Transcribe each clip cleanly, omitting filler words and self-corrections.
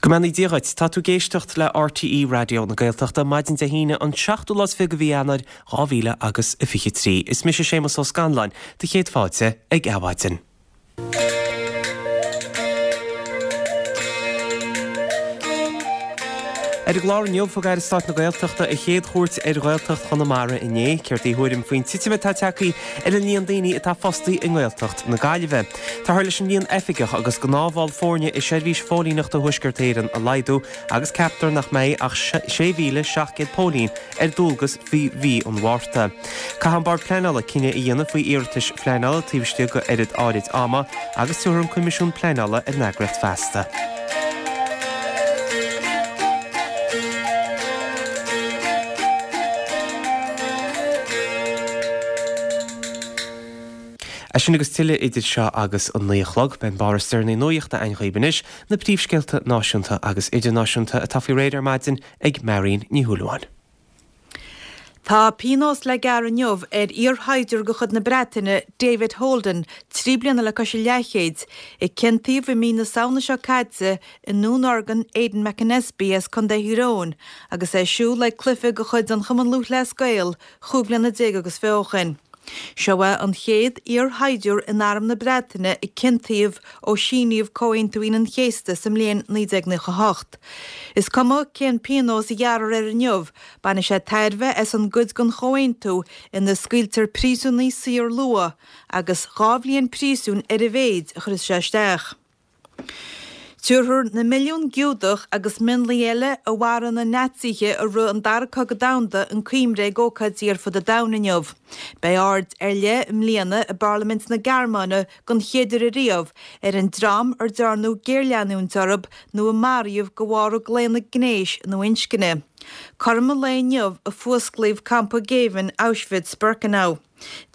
Go mbeannaí Dia dhuit. Tá tú ag éisteacht le RTÉ Raidió na Gaeltachta, maidin Dé hAoine an seachtú lá is fiche de mhí Eanáir 2000 agus a 23. Is mise Séamus Ó Scanláin, do chéad fáilte ag Adhmhaidin. Ar an gclár inniu, thug Aire Stáit na Gaeltachta a chéad chuairt ar Ghaeltacht Chonamara inné. Céard í a thuairim faoin titim atá tagtha ar an líon daoine atá fostaithe i nGaeltacht na Gaillimhe? Táthar leis an líon oifigeach agus gnáthbhall foirne i Seirbhís Phóilíneachta Thuaisceart Éireann a laghdú agus ceaptar nach mbeidh ach 6,700 póilín ar dualgas faoi mhí an Mhárta. Caithfidh an Bord Pleanála cinneadh a dhéanamh faoi iarratais phleanála taobh istigh de oiread áirid ama agus tabharfar an Coimisiún Pleanála ar an eagraíocht feasta. É sin agus tuilleadh idir seo agus an 9 a chlog. Beidh an barr is deireanaí nuachta againn dhaoibh anois, na príomhscéalta náisiúnta agus idirnáisiúnta atá faoi réir ar maidin ag Marion Ní Shúilleabháin. Tá pionós le gearradh inniu ar iarshaighdiúir de chuid na Breataine, David Holden, 3 bliana le cois a leathchéid, a ciontaíodh i mí na Samhna seo caite i ndúnorgain Aidan McAnespie as Contae Thír Eoghain agus é ag siúl ag cluiche de chuid an Chumann Lúthchleas Gael chúig bliana déag agus fiche ó shin. Seo é an chéad iarshaighdiúir in Arm na Breataine a ciontaíodh ó síníodh Comhaontú Aoine an Chéasta sa mbliain 1998. Is cuma cén pionós a ghearrfar air inniu, bainfidh sé tairbhe as an gcuid den chomhaontú ina scaoiltear príosúnaigh saor luath, agus 2 bhliain príosúin ar a mhéid a chuirfeas sé isteach. Tabharfar na milliúin Giúdach agus mionlaigh eile a mharaigh na Naitsithe i rith an Dara Cogadh Domhanda chun cuimhne ag ócáidí ar fud an domhain inniu. Beidh aird ar leith i mbliana i bParlaimint na Gearmáine den chéad uair ariamh ar an dream ar dearnadh géarleanúint orthu nó a maraíodh de bharr a gclaonadh gnéis nó inscne. Cothrom an lae inniu a fuasclaíodh campa géibhinn Auschwitz-Birkenau.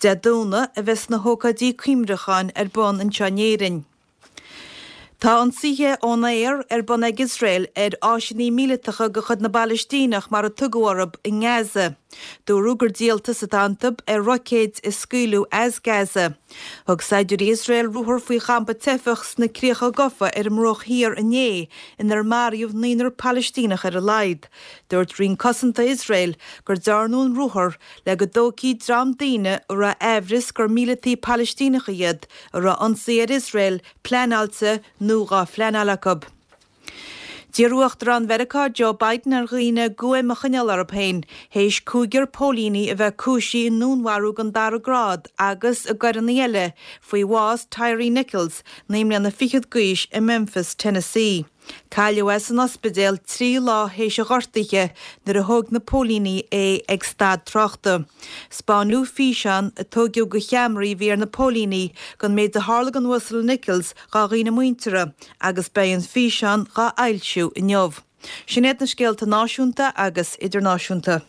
Dé Domhnaigh a bheas na hócáidí cuimhneacháin ar bun anseo in Éirinn. Tá ionsaithe ón aer ar bun ag Iosrael ar áiseanna míleatacha de chuid na bPalaistíneach, mar a tugadh orthu, i nGaza. Dúradh gur díoltas atá iontu ar roicéid a scaoileadh as Gaza. Thug saighdiúirí Iosrael ruathar faoi champa teifeach sna Críocha Gofa ar an mBruach Thiar inné, inar maraíodh naonúr Palaistíneach ar a laghad. Dúirt Roinn Cosanta Iosrael gur dearnadh an ruathar le go dtógfaí dream daoine a raibh aimhreas gur míleataigh Palaistíneacha iad, a raibh ionsaí ar Iosrael pleanáilte nó dhá phleanáil acu. D'iarr Uachtarán Mheiriceá Joe Biden ar dhaoine guaim a choinneáil orthu féin théis cúigear póilíní a bheith cúisithe i ndúnmharú den dara grád agus i gcoireanna eile faoi bhás Tyre Nichols, 9 mbliana fichead d'aois i Memphis, Tennessee. Cailleadh é san ospidéal 3 lá théis a ghortaithe nuair a thóg na póilíní é ag stad tráchta. 'Spáineadh físeán a tóigeadh de cheamaraí a bhí ar na póilíní den méid a tharla don Uasal Nichols dá dhaoine muinteartha agus beidh an físeán dhá fhoilsiú inniu. Sin iad na scéalta náisiúnta agus idirnáisiúnta.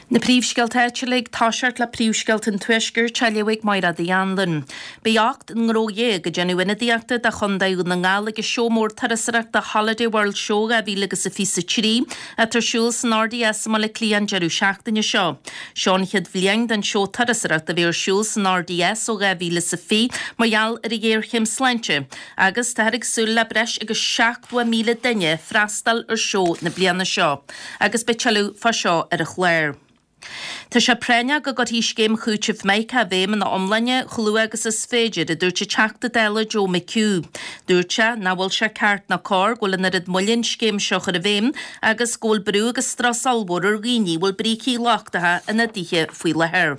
Na príomhscéalta áitiúla ag toiseacht le príomhscéalta an Tuaiscirt á léamh ag Mairéad Uí Anluain. Beidh 18 ngnó ag déanamh ionadaíochta do Chontae Dhún na nGall ag an seó mór turasóireachta Holiday World Show 2023 atá ar siúl san RDS i mBaile Átha Cliath an deireadh seachtaine seo. Seo an chéad bhliain don seó turasóireachta a bheith ar siúl san RDS ó 2020 mar gheall ar an ghéarchéim sláinte agus táthar ag súil le breis agus 70,000 duine freastal ar seó na bliana seo. Agus beidh tuilleadh fá seo ar an chlár. Tá sé práinneach go gcuirfí scéim chúitimh Micah i bhfeidhm ina iomláine chomh luath agus is féidir, a dúirt an Teachta Dála Joe McHugh. Dúirt sé nach bhfuil sé ceart ná cóir go bhfuil an oiread moille an scéim seo a chur i bhfeidhm agus go bhfuil brú agus strus ollmhór ar dhaoine a bhfuil brící lochtacha ina dtithe faoi láthair.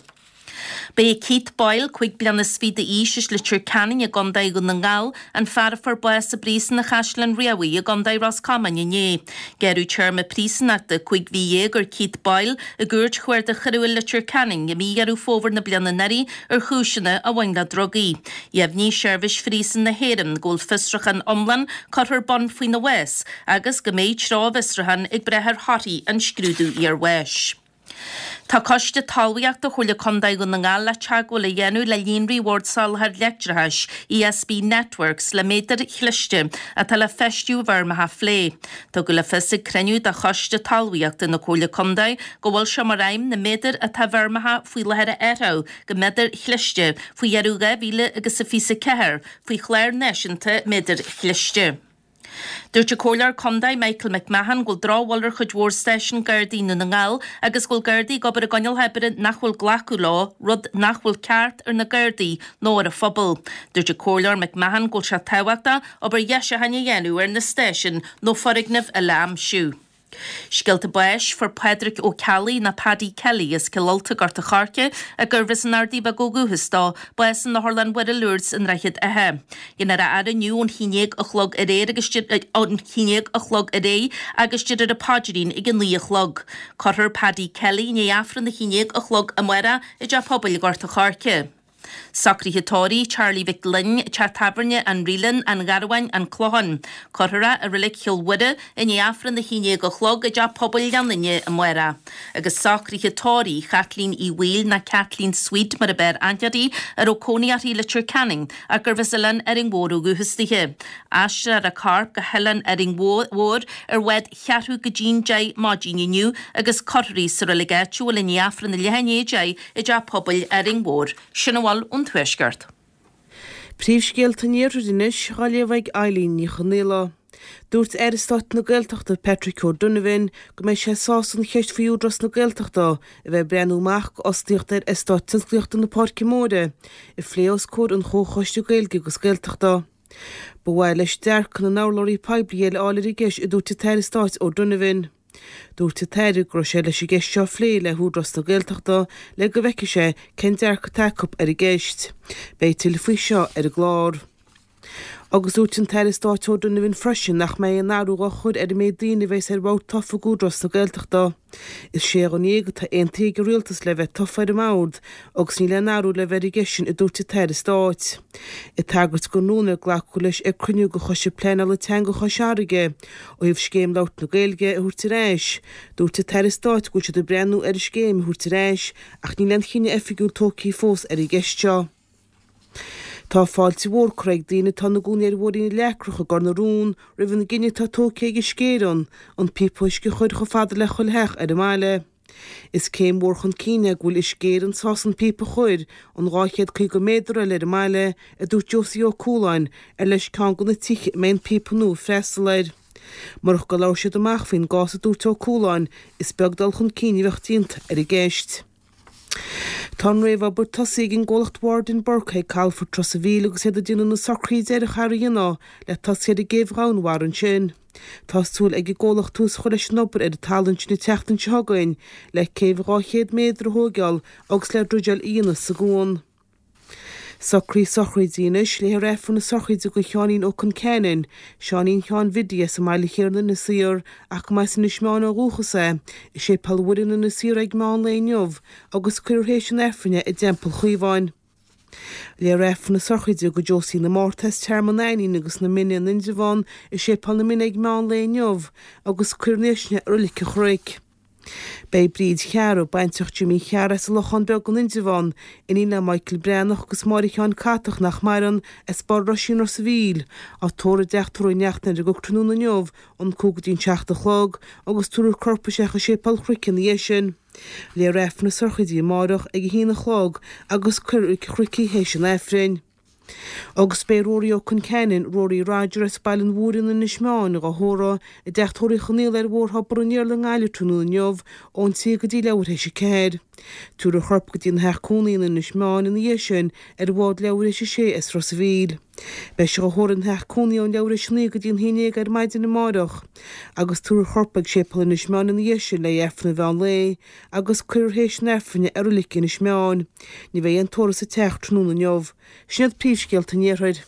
Ba é Keith Boyle, 25 bliana d'aois, as Leitir Ceanainn i gContae Dhún na nGall, an fear a fuair bás i bPríosún an Chaisleáin Riabhaigh i gContae Ros Comáin inné. Gearradh téarma príosúnachta 15 mhí ar Keith Boyle i gCúirt Chuarda Choiriúil Leitir Ceanainn i mí Dheireadh Fómhair na bliana anuraidh ar chúiseanna a bhain le drugaí. Dheimhnigh Seirbhís Phríosúin na hÉireann go bhfuil fiosrúchán iomlán curtha ar bun faoina bhás agus go mbeidh treo an bhfiosrúcháin ag brath ar thorthaí an scrúdú iarbháis. Tá Coiste Talmhaíochta Chomhairle Contae Dhún na nGall le teagmháil a dhéanamh le Líonraí Bhord Soláthair Leictreachais, ESB Networks, le méadair chliste atá le feistiú i bhfeirmeacha a phlé. Tugadh le fios ag cruinniú de Choiste Talmhaíochta na Comhairle Contae go bhfuil sé mar aidhm na méadair atá i bhfeirmeacha faoi láthair a athrú go méadair chliste faoi dheireadh 2024 faoi chlár náisiúnta méadair chliste. Dúirt an Comhairleoir Contae Michael McMahon go bhfuil drochbhail ar chuid mhór stáisiún Gardaí i nDún na nGall agus go bhfuil Gardaí ag obair i gcoinníollacha oibre nach bhfuil glacadh leo, rud nach bhfuil ceart ar na Gardaí nó ar an phobal. Dúirt an Comhairleoir McMahon go bhfuil sé tábhachtach obair dheisiúcháin a dhéanamh ar na stáisiúin nó foirgneamh eile a aimsiú. Scéalta báis, Fuair Pádraic Ó Ceallaigh, nó Paddy Kelly, as Cill Ulta, Gort a' Choirce, gurbh as an Ardaidh Bheag ó dhúchas dó, bás in Otharlann Mhuire Lourdes i nDroichead Átha. Déanfar a fhaire inniu ón haon déag a chlog aréir agus ón haon déag a chlog aréir agus déarfar an paidrín ag a naoi a chlog. Cuirfear Paddy Kelly i ndiaidh Aifreann a haon déag a chlog amárach i dTeach Pobail Ghort a' Choirce. Socruithe tórraimh, Charlie Mhic Fhloinn, Teach Tábhairne an Reelan, An Gharbháin, An Clochán. Cuirfear é i Reilig Chill Mhuire i ndiaidh Aifreann a haon déag a chlog i dTeach Pobail Ghleann Fhinne amárach. Agus socruithe tórraimh Chaitlín Uí Bhaoill ná Kathleen Sweet mar ab fhearr aithne uirthi, a raibh cónaí uirthi i Leitir Ceanainn ach gurbh as Oileán Árainn Mhór ó dhúchas dithe. Aistreofar a corp go hOileán Árainn Mhór ar bhád cheathrú go dtí'n deich maidin inniu agus cuirfear í sa reilig áitiúil i ndiaidh Aifreann a leath i ndiaidh a deich i dTeach Pobail Árainn Mhór. Sin a bhfuil ón Tuaisceart. Príomhscéalta an Iarthair anois, á léamh ag Eileen Ní Chonghaile. Dúirt Aire Stáit na Gaeltachta Patrick O'Donovan go mbeidh sé sásta an cheist faoi Údarás na Gaeltachta a bheith ag breathnú amach d'fhostaíocht ar Eastát Tionsclaíochta na Páirce Móire a phlé os comhair an Chomhchoiste Gaeilge agus Gaeltachta. Ba mhaith leis dearcadh na n-urlabhraí poiblí eile a fháil ar an gceist a dúirt an tAire Stáit O'Donovan. Dúirt an tAire go raibh sé leis an gceist seo a phlé le hÚdarás na Gaeltachta le go bhfeicfidh sé cén dearcadh atá acu ar an gceist. Beidh tuilleadh faoi seo ar an gclár. Agus dúirt an tAire Stáit O'Donovan freisin nach mbeidh aon athrú á chur ar an méid daoine a bheas ar bhord tofa ag Údarás na Gaeltachta. Is sé dhuine dhéag atá aontaithe ag an Rialtas le bheith tofa ar an mbord agus níl aon athrú le bheith ar an gceist sin a dúirt an tAire Stáit. Ag tagairt don rún ar glacadh leis ag cruinniú de Choiste Pleanála Teanga Chois Fharraige ó thaobh Scéim Labhairt na Gaeilge a thabhairt ar ais, dúirt an tAire Stáit go bhfuil siad ag breathnú ar an scéim a thabhairt ar ais ach níl aon chinneadh oifigiúil tógtha fós ar an gceist seo. Tá fáilte mhór curtha ag daoine atá ina gcónaí ar Bhóithrín na Leacrach i gCor na Rón roimh an gcinneadh atá tógtha ag Uisce Éireann an píopa uisce a chur chomh fada le chuile theach ar an mbaile. Is céim mhór chun cinn é go bhfuil Uisce Éireann sásta an píopa a chur an 250 méadar eile ar an mbaile, a dúirt Josie Ó Cualáin, ar leis ceann de na tithe a mbeidh an píopa nua ag freastal air. Murach gur labhair siad amach faoin gcás a dúirt Ó Cualáin, is beag dul chun cinn a bheadh déanta ar an gceist. Tá an réamhobair tosaithe ag an gcomhlacht Ward and Burke ag calafort Ros a' Mhíl agus iad ag déanamh na socruithe deiridh a dhéanamh le tosaí ar an gcéibh dhomhainmhara ansin. Tá súil ag an gcomhlacht tús a chur leis an obair ar an talamh ansin an tseachtain seo chugainn le céibh 200 méadar a thóigeáil agus le druideáil a dhéanamh sa gcuan. Socruithe sochraide anois, léifear Aifreann na sochraide do Sheáinín Ó Concheanainn, Seáinín Sheáin Bhiddy as an mbaile thiar in Inis Oírr ach go mba as Inis Meáin ó dhúchas é, i Séipéal Mhuire in Inis Oírr ag meán lae inniu agus cuirfear théis an Aifrinn é i dTeampall Chaomháin. Léifear Aifreann na sochraide do Josie na Márta as Tearmann Ainnín agus na Mine in Indreabhán i Séipéal na Mine ag meán lae inniu agus cuirfear ina dhiaidh sin é i Reilig an Chnoic. Beidh Bríd Chearra, baintreach Jimí Chearra as an Lochán Beag in Indreabhán, iníon le Michael Breathnach agus Máire Sheáin Catach nach maireann, as Barr Roisín Ros a' Mhíl, á tórramh i dteach tórraimh Uí Neachtain ar an gCnoc tráthnóna inniu ón 5 go dtí an 7 a chlog agus tabharfar a corp isteach i Séipéal an Chnoic ina dhiaidh sin. Léifear Aifreann na sochraide amárach ag a haon a chlog agus cuirfear i Reilig an Chnoic í théis an Aifrinn. Agus beidh Rory Ó Conceanainn, Rory Roger as Baile an Mhúir in Inis Meáin, dhá thórramh i dteach tórraimh Uí Chonaola ar Bhóthar Thobar an Iarla i nGaillimh tráthnóna inniu ón 3 go dtí leathuair théis a 4. Tabharfar a chorp go dtí a theach cónaí in Inis Meáin ina dhiaidh sin ar bhád leathuair théis a 6 as Ros a' Mhíl. Beidh sé dhá thórramh ina theach cónaí ón leathuair théis a 9 go dtí an 11 ar maidin amárach agus tabharfar a chorp ag Séipéal Inis Meáin ina dhiaidh sin le haghaidh Aifreann an mheán lae agus cuirfear théis an Aifrinn é i Reilig Inis Meáin. Ní bheidh aon tórramh sa teach tráthnóna inniu. Sin iad príomhscéalta an Iarthair.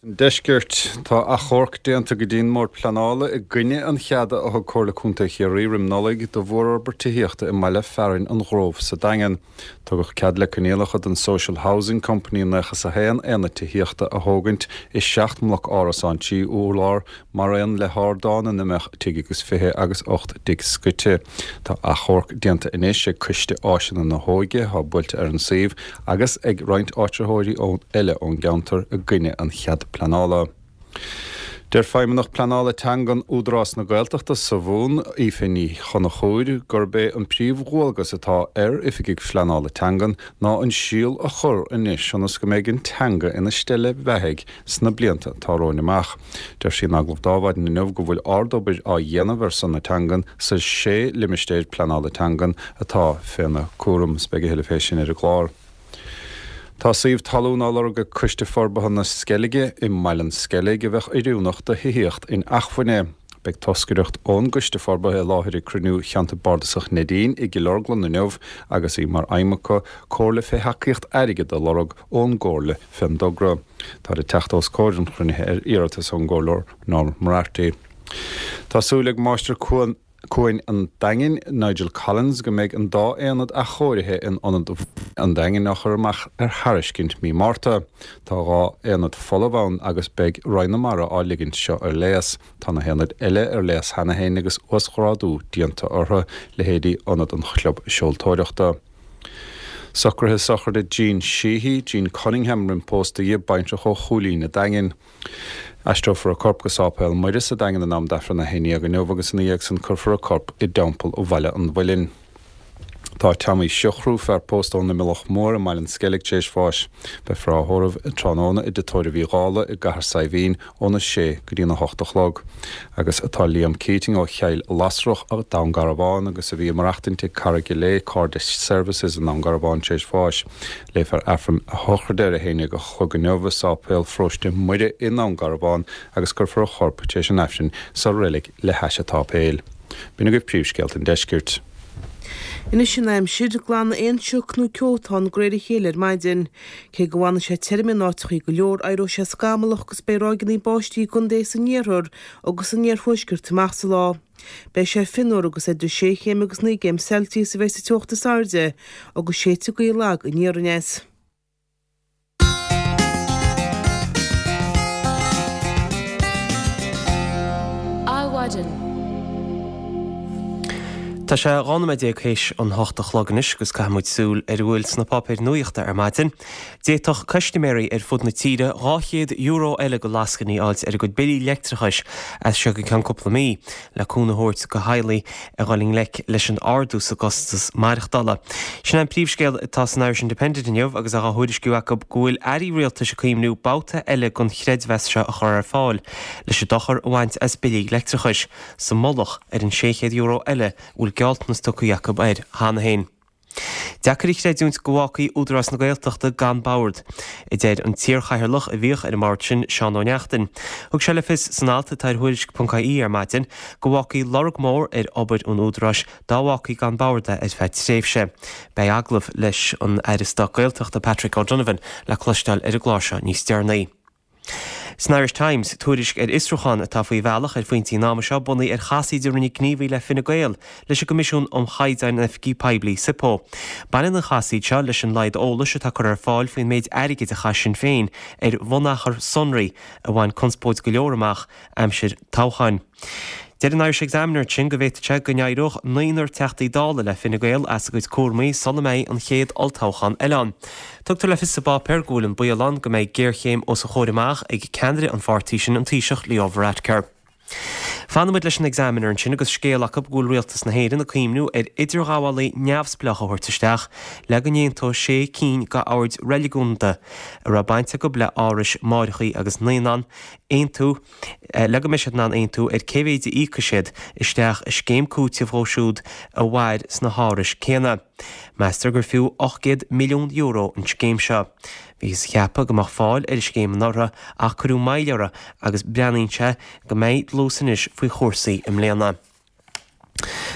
An Deiscirt. Tá achomharc déanta go dtí an mBord Pleanála i gcoinne an cheada a thug Comhairle Contae Chiarraí roim Nollaig do mhórfhorbairt tithíochta i mbaile fearainn an Ghrove sa Daingean. Tugadh cead le coinníollacha don Social Housing Company 91 aonad tithíochta a thógaint i seacht mbloc árasán 3 urlár maraon le hardán ina mbeadh tigh agus fiche agus 8 dtigh scoite. Tá achomharc déanta anois ag Coiste Áiseanna na hÓige, atá buailte ar an suíomh, agus ag roinnt áitritheoirí eile ón gceantar i gcoinne an chead pleanála. Deir Feidhmeannach Pleanála Teangan Údarás na Gaeltachta sa Mhumhan, Aoife Ní Chonchúir, gurb é an príomhdhualgas atá ar oifigigh phleanála teangan ná an síol a chur anois ionas go mbeidh an teanga ina steille bheathaidh sna blianta atá romhainn amach. Deir sí in agallamh d'Adhmhaidin inniu go bhfuil ardobair á dhéanamh ar son na teangan sa sé limistéir pleanála teangan atá féna cúram. Is beidh a thuilleadh fé sin ar an gclár. Tá suíomh talún á lorg ag Coiste Forbartha na Sceilge i mBaile an Sceilg a bheadh oiriúnach do thithíocht inacmhainne. Beidh toscaireacht ón gCoiste Forbartha i láthair ag cruinniú Cheantar Bardasach Neidín i gCill Orglan inniu agus í mar aidhm acu comhairle fé thacaíocht airgid a lorg ón gComhairle fén dtogra. Táthar ag teacht os comhair an chruinnithe ar iarratas ón gComhairleoir Norm Moriarty. Tá súil ag Máistir Cuain. Cuain an Daingin, Nigel Collins, go mbeidh an dá aonad athchóirithe in Ionad an Daingin á chur amach ar thairiscint mí Márta. Tá 2 aonad folamh ann agus beidh Roinn na Mara á ligint seo ar léas. Tá na haonaid eile ar léas cheana féin agus uasghrádú déanta orthu, leithéidí Ionad an Chlub Seoltóireachta. Socruithe sochraide Jean Sheehy, Jean Cunningham roimh pósta dhi, baintreach ó Chúilín a' Daingin. Aistreofar a corp go Sáipéal Muire sa Daingean in am d'Aifreann a 11 inniu agus ina dhiaidh san cuirfear a corp i dTeampall Bhaile an Mhuilinn. Tá Tommy Siochrú, fear pósta ón Imileach Mór i mBaile an Sceilg tar éis bháis. Beifear á thórramh tráthnóna i dTigh Tórraimh Uí Dhálaigh i gCathair Saidhbhín óna sé go dtí'n 8 a chlog. Agus tá Liam Keating ó Chill Lasrach, Dún Garbhán agus a bhí ag maireachtaint ag Carraig Léith Cairde Services i nDún Garbhán tar éis bháis. Léifear Aifreann a shochraide ar a haon déag a chlog inniu i Sáipéal Pharóiste Muire i nDún Garbhán agus cuirfear a chorp tar éis an Aifrinn sa reilig le hais an tsáipéil. B'in agaibh príomhscéalta an deiscirt. Anois an aimsir, glanfaidh aon sioc nó ceo atá ann de réir a chéile ar maidin. Cé go bhfanfaidh sé tirim in áiteachaí go leor, éireoidh sé scamallach agus beidh ráigeanna báistí i gcontaetha san iarthar agus san iarthuaisceart amach sa lá. Beidh sé fionnuar agus idir sé chéim agus 9 gcéim Celsius a bheidh sa teocht is airde agus séidfidh gaoth lag aniar aneas. Adhmhaidin. Tá sé 12 nóiméad théis an hocht a chlog anois agus caithfidh muid súil ar a bhfuil sna páipéir nuachta ar maidin. D'fhéadfadh custaiméirí ar fud na tíre €200 eile de lascainí a fháilt ar a gcuid billí leictreachais as seo go ceann cúpla mí, le cúnamh a thabhairt do theaghlaigh a dhul i ngleic leis an ardú sa gcostas maireachtála. Sin é an príomhscéal atá san Irish Independent inniu agus é á thuairisciú acu go bhfuil airí rialtais ag cuimhniú babhta eile den chreidmheas seo a chur ar fáil leis an dochar a bhaint as billí leictreachais, sa mullach ar an €600 eile a bhfuil gealltanas tugtha acu air cheana féin. Deacair a chreidiúint go bhfágfaí Údarás na Gaeltachta gan bord, a deir an t-iarchathaoirleach a bhíodh ar an mbord sin, Seán Ó Neachtain. Thug sé le fios san alt atá ar Thuairisc.ie ar maidin go bhfágfaí lorg mór ar obair an Údaráis dá bhfágfaí gan bord é ar feadh tréimhse. Beidh agallamh leis an Aire Stáit Gaeltachta Patrick O'Donovan le cloisteáil ar an gclár seo níos deireanaí. San Irish Times, tuairisc ar fhiosrúchán atá faoi bhealach ar phointí an ama seo bunaithe ar chasaoid a rinne gníomhaí le Fine Gael leis an gCoimisiún um Chaighdeáin in Oifigí Poiblí, SIPO. Baineann an chasaoid seo leis an laghad eolais atá curtha ar fáil faoin méid airgid a chaith Sinn Féin ar bhunachar sonraí a bhain conspóid go leor amach aimsir toghcháin. Deir an Irish Examiner ansin go bhféadfadh sé go n-éireodh naonúr Teachtaí Dála le Fine Gael as a gcuid cúramaí sula mbeidh an chéad olltoghchán eile ann. Tugtar le fios sa bpáipéar go bhfuil an baol ann go mbeidh géarchéim os a chomhair amach ag ceannaire an pháirtí sin, an Taoiseach Leo Varadkar. Fanfaidh muid leis an Examiner ansin agus scéal acu go bhfuil Rialtas na hÉireann ag cuimhniú ar idirghabhálaí neamhspleách a thabhairt isteach le go n-aontódh sé cinn d'oird reiligiúnda a raibh baint acu le árais máithreacha agus naíonán aontú le go mbeidh siad in ann aontú ar cé mhéid a íocfaidh siad isteach i scéim cúitimh dhóibh siúd a mhair sna hárais céanna. Meastar gur fiú €800 milliún an scéim seo. Bhíothas a cheapadh go mbeadh fáil ar an scéim anuraidh ach cuireadh moill uirthi agus breathnaíonn sé go mbeidh dlús anois faoi chúrsaí i mbliana.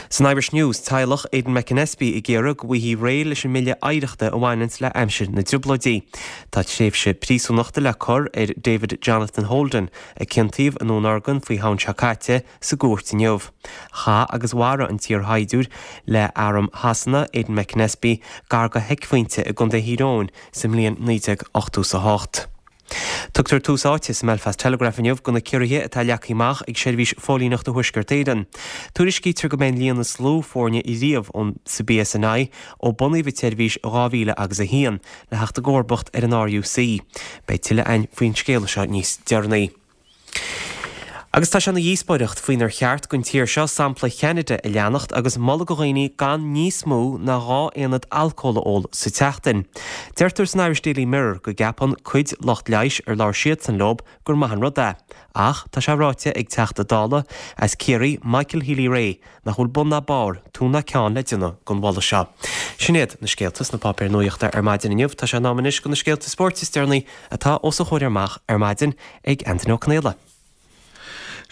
San Irish News, teaghlach Aidan McAnespie ag iarraidh go bhfaighfí réidh leis an mBille Oidhreachta a bhaineanns le aimsir na dTrioblóidí. Tá tréimhse príosúnachta le cur ar David Jonathan Holden, a ciontaíodh i nDún Urgan faoi Shamhain seo caite, sa gcúirt inniu. Chaith agus mharaigh an t-iarshaighdiúir le Arm Shasana, Aidan McAnespie, gar do sheicphointe i gContae Thír Eoghain sa mbliain 1988. Tugtar tús áite sa mBelfast Telegraph inniu do na ciorruithe atá leagtha amach ag Seirbhís Phóilíneachta Thuaisceart Éireann. Tuairiscítear go mbeidh an líon is lú foirne riamh ón sa BSNI ó bunaíodh an tseirbhís i 2000 agus 1, le theacht i gcomharbacht ar an RUC. Beidh tuilleadh againn faoin scéala seo níos deireanaí. Agus tá sé ina dhíospóireacht faoinar cheart don tír seo sampla Cheanada a leanacht agus moladh do dhaoine gan níos mó ná 2 aonad alcóil a ól sa tseachtain. Deirtear san Irish Daily Mirror go gceapann cuid lucht leighis ar labhair siadsan leo gur maith an rud é. Ach tá sé ráite ag Teachta Dála as Ciarraí, Michael Healy-Rae, nach bhfuil bun ná barr, túr ná ceann le déanamh den mholadh seo. Sin iad na scéalta sna páipéir nuachta ar maidin inniu. Tá sé in am anois do na scéalta spóirt is deireanaí atá os a chomhair amach ar maidin ag Antaine Ó Conaola.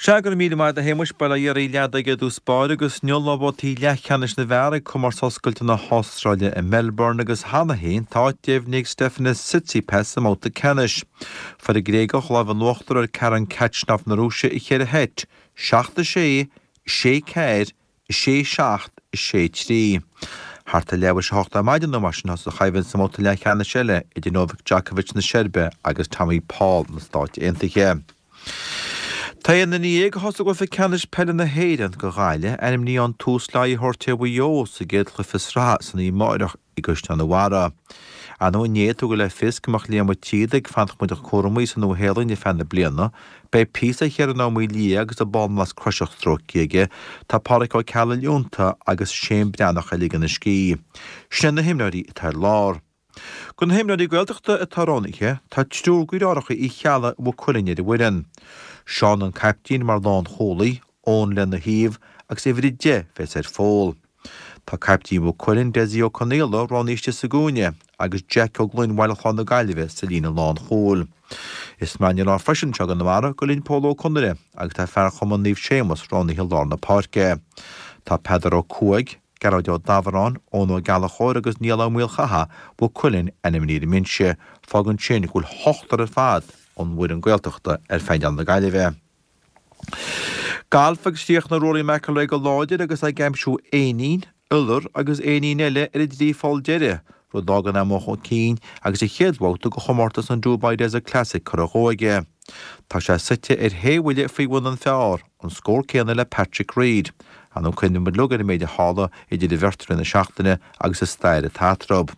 Sea, go raibh míle maith agat a Shéamuis, Bail ó Dhia oraibh leaid ag i dtús báire agus inniu lá babhtaí leathcheannais na bhfear ag Comórtas Oscailte na hAstráile i Melbourne agus cheana féin tá áit deimhnithe ag Stefanos Tsitsipas sa mbabhta ceannais. Fuair an Gréagach lámh in uachtar ar Karen Khachanov na Rúise i cheithre sheit, 7-6, 6 4, 6, 7, 6, 3. Thart ar leathuair tar éis a hocht ar maidin nó mar sin thosaigh an choimhlint sa mbabhta leathcheannais eile idir Novak Djokovic na Seirbe agus Tommy Paul na Stáit Aontaithe. Tá aon duine dhéag a thosaigh i gcluiche ceannais peile na hÉireann do Ghaillimh ainmnithe ann tús le aghaidh a thabhairt ar Mhaigh Eo sa gcéad chluiche sraithe san oíche amárach i gCaisleán an Bharraigh. Ar ndóigh inné tugadh le fios go mbeadh Liam Ó Tríoda ag fanacht muid cúramaí sa Nua-Shéalainn ar feadh na bliana. Beidh píosa ar Chiarán Ó Maoildhia agus an bánghlas croiseach stróicthe aige. Tá Pádraic Ó Ceallaigh leonta agus Shane Breathnach ag ligean a scíth. Sin na himreoirí atá ar lár. De na himreoirí Gaeltachta atá roghnaithe, tá triúr de dheartháireacha Uí Cheallaigh Mhaigh Cuilinn ar an bhfoireann. Seán an caiptín mar lánchúlaí, Eoin lena thaobh agus uimhir 10 bheas ar Phól. Tá caiptín Mhaigh Cuilinn, Dessie Ó Conaola, roghnaithe istigh sa gcúinne agus Jack Ó Gloinn Bhaile Chláir na Gaillimhe sa líne lánchúil. Is maith an rá freisin anseo i gConamara go linn Pól Ó Conaire agus tá fear Chumann Naomh Séamus roghnaithe i lár na páirce. Tá Peadar Ó Cuaig, Gearóid Ó Dabhráin, Eoin Ó Gallchóir agus Niall Ó Maolchatha, Mhaigh Cuilinn, ainmnithe ar an mbinse. Fágann sin go bhfuil ochtar ar fad ón bhfoireann Gaeltachta ar phainéal na Gaillimhe. Galf agus chríochnaigh Rory McIlroy go láidir agus é ag aimsiú éinín, iolar agus éinín eile ar an dtrí pholl deiridh, rud a d'fhágann é amuigh chun cinn agus a chéad bhabhta de chomórtas an Dubai Desert Classic curtha dhó aige. Tá sé suite ar shé bhuille faoi bhun an phar, an scór céanna le Patrick Reed. Ar ndóigh cuimhníonn muid uilig ar an méid a tharla idir an bheirt i rith na seachtaine agus an stair atá eatarthu.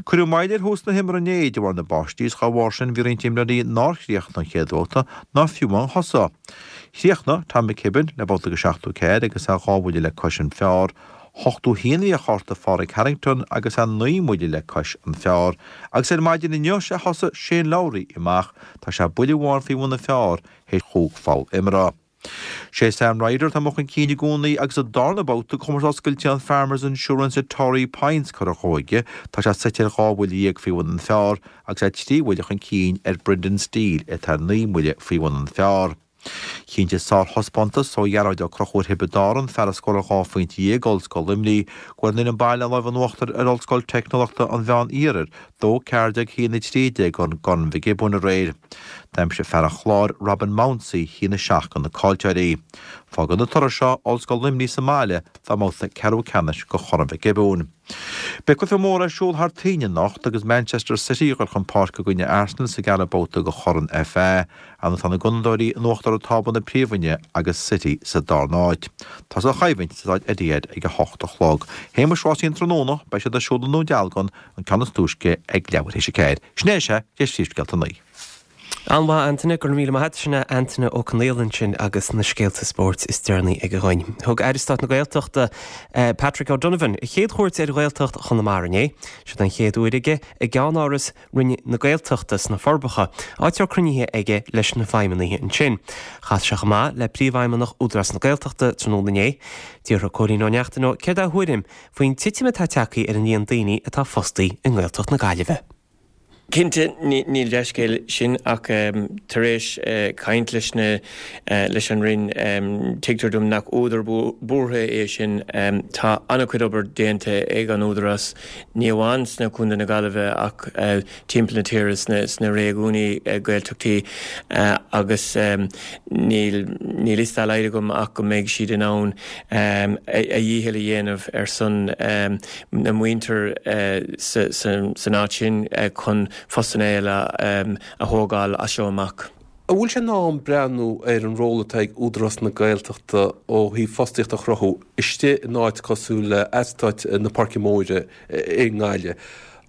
Cuireadh moill ar thús na himeartha inné de bharr na báistí is dá bharr sin bhí roinnt imreoirí nár chríochnaigh an chéad bhabhta ná fiú amháin thosaigh. Chríochnaigh Tom McKibbin le babhta de 74 agus é dhá bhuille le cois an phar. 81 a bhí ar chárta Phádraig Harrington agus é naoi mbuille le cois an phar. Agus ar maidin inniu sé thosaigh Shane Lowry amach, tá sé buille amháin faoi bhun an phar théis chúig pholl imeartha. Sé Sam Ryder atá amuigh chun cinn i gcónaí agus an darna babhta de Chomórtas Oscailte an Farmers Insurance at Torrey Pines curtha dhó aige. Tá sé suite ar dhá bhuille dhéag faoi bhun an phar agus é trí bhuille chun cinn ar Brendan Steele atá naoi mbuille faoi bhun an phar. Chinntigh sárthaispeántas ó Ghearóid Ó Conchúir Thiobraid Árann, fear a scóráil dhá phointe dhéag d'Ollscoil Luimnigh, go bhfuair an fhoireann baile an lámh in uachtar ar Ollscoil Teicneolaíochta an Mheán Iarthair, 2, 14, 1, 13 i gCorn Mhic Giobúin aréir. D'aimsigh fear an Chláir, Robin Mounsey, 1, 7 do na caillteoirí. Fágann an toradh seo Ollscoil Luimnigh sa mbaile dá mbabhta ceathrú ceannais de Chorn Mhic Giobúin. Beidh cluiche mór ar siúl thar toinn anocht agus Manchester City ag dul chun páirce i gcoinne Arsenal sa gceathrú babhta de Chorn FA. Anois tá na Gunnadóirí in uachtar ar tábla na Príomhroinne agus City sa darna háit. Tosóidh an choimhlint sa staid Etihad ag a hocht a chlog. Shéamuis rásaí an tráthnóna, beidh siad ar siúl i nDún Dealgan, An ceann is túisce ag leathuair théis a ceathair. Sin é is ea, deis príomhscéalta an lae. An-mhaith, Antaine, go raibh míle maith agat. Sin é Antaine Ó Conaola ansin agus na scéalta spóirt is deireanaí aige dhúinn. Thug Aire Stáit na Gaeltachta, Patrick O'Donovan, a chéad chuairt ar Ghaeltacht Chonamara inné. Siod an chéad uair aige i gceannáras Roinn na Gaeltachta sna Forbacha, áit a raibh cruinnithe aige leis na feidhmeannaithe ansin. Chas sé chomh maith le Príomhfheidhmeannach Údarás na Gaeltachta tráthnóna inné. D'fhiafraigh Cóilín Ó Neachtain dó céard é a thuairim faoin titim atá tagtha ar an líon daoine atá fostaí i nGaeltacht na Gaillimhe. Cinnte, níl dea-scéal sin ach tar éis caint leis na, leis an Roinn, tuigtear dom nach údar buartha é sin. Tá an-chuid obair déanta ag an Údarás, ní amháin sna Contae na Gaillimhe ach timpeall na tíre sna réigiúin Gaeltachtaí agus níl níl fhios dá laghad agam ach go mbeidh siad in ann a dhícheall a dhéanamh ar son na muintir san áit sin chun postanna eile a thógáil as seo amach. An bhfuil sé in am breathnú ar an ról atá ag Údarás na Gaeltachta ó thaobh fostaíocht a chruthú istigh in áit cosúil le eastát na Páirce Móire i nGaillimh?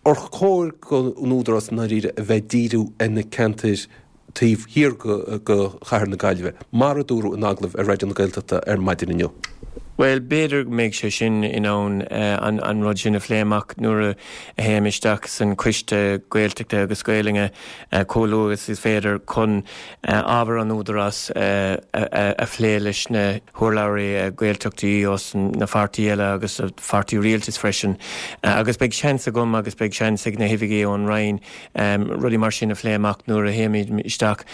Ar chóir don Údarás i ndáiríre a bheith ag díriú ar na ceantair. taobh thiar de chathair na Gaillimhe, mar a dúradh in agallamh ar Raidió na Gaeltachta ar maidin inniu. Bhuel, b'fhéidir go mbeidh sé sin in ann an rud sin a phlé amach nuair a théim isteach san Coiste Gaeltachta agus Gaelainne chomh luath agus is féidir chun ábhar an Údarás a phlé leis na hurlabhraí Gaeltachtaí ós na pháirtí eile agus pháirtí rialtais freisin. Agus beidh seans agam agus beidh seans ag na hoifigigh ón Roinn rudaí mar sin a phlé amach nuair a théimid isteach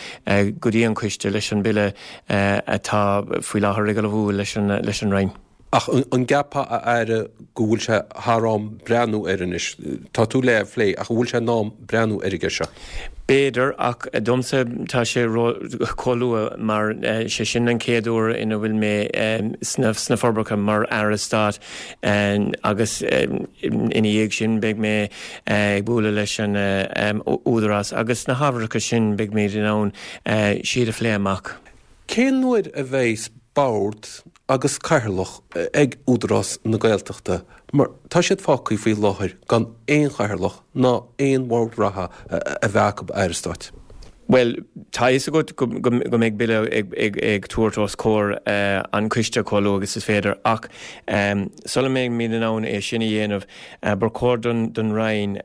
go dtí an coiste leis an Bille atá faoi láthair ag ullmhú leis an Roinn. Ach an gceapfá, a Aire, go bhfuil sé thar am breathnú air anois? Tá tú le é a phlé, ach an bhfuil sé in am breathnú ar an gceist seo? B'fhéidir, ach domsa tá sé chomh luath mar sé sin an chéad uair ina bhfuil mé sna Forbacha mar Aire Stáit agus ina dhiaidh sin beidh mé ag bualadh leis an Údarás agus na hábharacha sin beidh muid in ann siad a phlé amach. Cén uair a bheidhs bord agus cathaoirleach ag Údarás na Gaeltachta mar tá siad fágtha faoi láthair gan aon chathaoirleach ná aon bhord reatha a bheith acu, a Aire Stáit? Bhuel, tá a fhios agat go mbeidh Bille ag tabhairt os comhair an choiste chomh luath agus is féidir ach sula mbeimid in ann é sin a dhéanamh, ba chóir don Roinn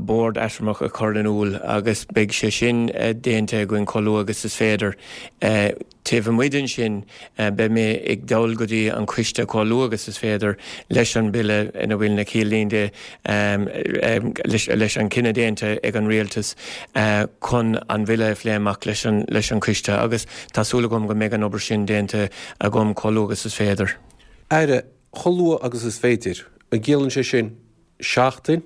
bord eatramhach a chur in iúl agus beidh sé sin déanta againn chomh luath agus is féidir. Taobh amuigh den sin, beidh mé ag dul go dtí an coiste chomh luath agus is féidir leis an Bille ina bhfuil na ciallínte leis an cinneadh déanta ag an Rialtas chun an Bhille a phlé amach leis an coiste agus tá súil agam go mbeidh an obair sin déanta agam chomh luath agus is féidir. Aire, chomh luath agus is féidir, an gciallaíonn sé sin seachtain,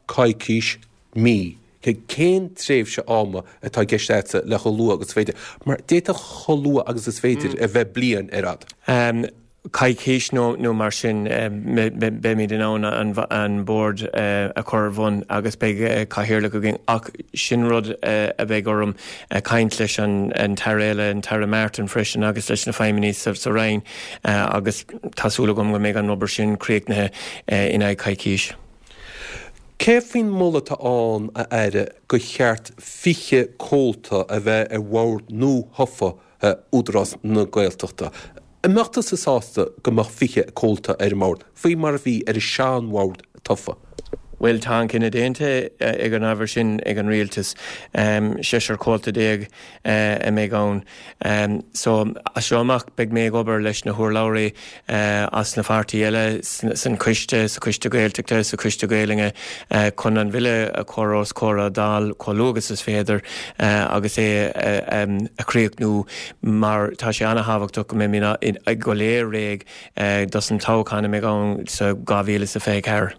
coicís, mí? Cén tréimhse ama atá i gceist agatsa le chomh luath agus is féidir? Mar d'fhéadfadh chomh luath agus is féidir a bheith bliain ar fhad. Coicís nó mar sin, beimid in ann an bord a chur ar bhun agus beidh cathaoirleach againn ach sin rud a bheidh orm caint leis an tAire eile, an tAire Martin freisin agus leis na feidhmeannaigh sa Roinn agus tá súil agam go mbeidh an obair sin críochnaithe in aghaidh coicís. Céard faoin moladh atá ann, a Aire, gur cheart 20 comhalta a bheith ar bhord nua-thofa Údarás na Gaeltachta? An mbeadh tusa sásta go mbeadh 20 comhalta ar an mbord, faoi mar a bhí ar an sean-bhord tofa? Bhuel, tá an cinneadh déanta ag an ábhar sin ag an Rialtas. Seisear comhalta a mbeidh ann. So, as seo amach beidh mé ag obair leis na hurlabhraí as na pháirtí eile san coiste, sa Choiste Gaeltachta, sa Choiste Gaelainne chun an Bhille a chur os comhair an Dáil chomh luath agus is féidir agus é a chríochnú mar tá sé ana-thábhachtach go mbeimid go léir réidh dos an toghchán a mbeidh ann sa 2024.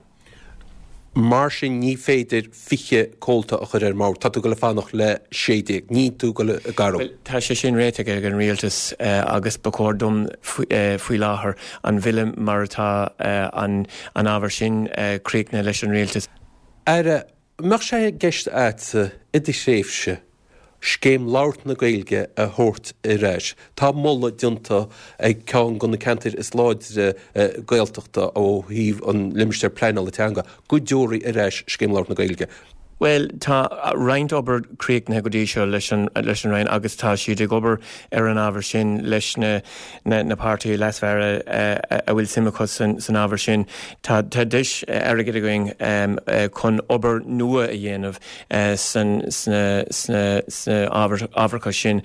Mar sin ní féidir 20 comhalta a chur ar an mbord. Tá tú ag dul a fanacht le 16. Níl tú ag dul ag athrú. Bhuel, tá sé sin réitithe ag an Rialtas agus ba chóir dom faoi láthair an Bhille mar atá an ábhar sin críochnaithe leis an Rialtas. Aire, an mbeadh sé i gceist agatsa i do thréimhse Scéim Labhairt na Gaeilge a thabhairt ar ais. Tá moladh déanta ag ceann de na ceantair is láidre Gaeltachta ó thaobh an limistéir pleanála teanga go dtabharfaí ar ais Scéim Labhairt na Gaeilge. Bhuel, tá roinnt obair críochnaithe go dtí seo leis an leis an Roinn agus tá siad ag obair ar an ábhar sin leis na na páirtithe leasmhara a bhfuil suim acu san ábhar sin. Tá deis airgid againn chun obair nua a dhéanamh sna ábharacha sin.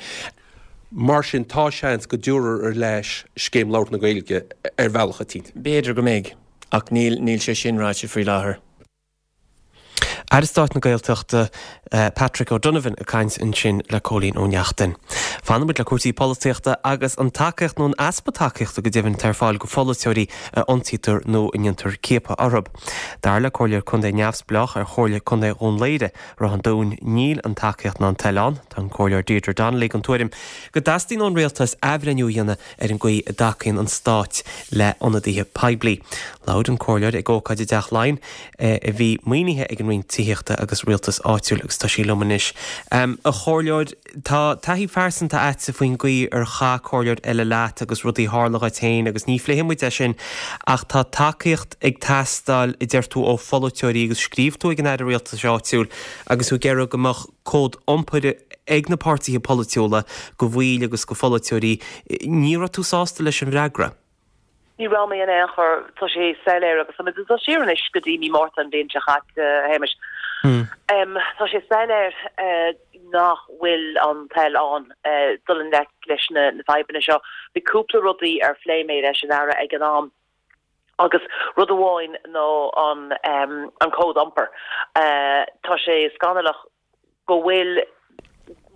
Mar sin, tá seans go dtabharfar ar ais Scéim Labhairt na Gaeilge ar bhealach eicínt. B'fhéidir go mbeidh, ach níl sé sin ráite faoi láthair. Aire Stáit na Gaeltachta, Patrick O'Donovan ag caint ansin le Cóilín Ó Neachtain. Fanann muid le cúrsaí polaitíochta agus an tacaíocht nó an easpa tacaíochta go deimhin atá ar fáil do pholaiteoirí a ionsaítear nó a ndéantar ciapadh orthu. Dar le Comhairleoir Contae neamhspleách ar Chomhairle Contae Dhún Laoghaire, Ráth an Dúin, níl an tacaíocht ná an toil ann. Tá an Comhairleoir Deirdre Donnelly den tuairim go dteastaíonn ón Rialtas athbhreithniú a dhéanamh ar an gcaoi a dtacaíonn an Stát le hionadaithe poiblí. Labhair an Comhairleoir ag ócáid i dTeach Laighean a bhí maoinithe ag an Roinn. Tithíochta agus Rialtais Áitiúil agus tá sí liom anois. A Chomhairleoir, tá taithí phearsanta a'dsa faoin gcaoi ar chaith comhairleoir eile leat agus rudaí a tharla dhuit féin agus ní phléifidh muid é sin ach tá tacaíocht ag teastáil a deir tú ó pholaiteoirí agus scríobh tú ag an Aire Rialtais Áitiúil agus tú ag iarraidh go mbeadh cód iompair ag na páirtithe polaitiúla go bhaill agus go pholaiteoirí. Ní raibh tú sásta leis an bhfreagra? Ní raibh mé in aon chor. Tá sé soiléir agus tá muid ag dul siar anois go dtí mí Márta an bhliain seo chaite, a Shéamais. Tá sé soiléir nach bhfuil an toil ann dul i ngleic leis na fadhbanna seo. Bhí cúpla rudaí ar phléigh mé leis an Aire ag an am agus rud amháin ná an cód iompair. Tá sé scannalach go bhfuil,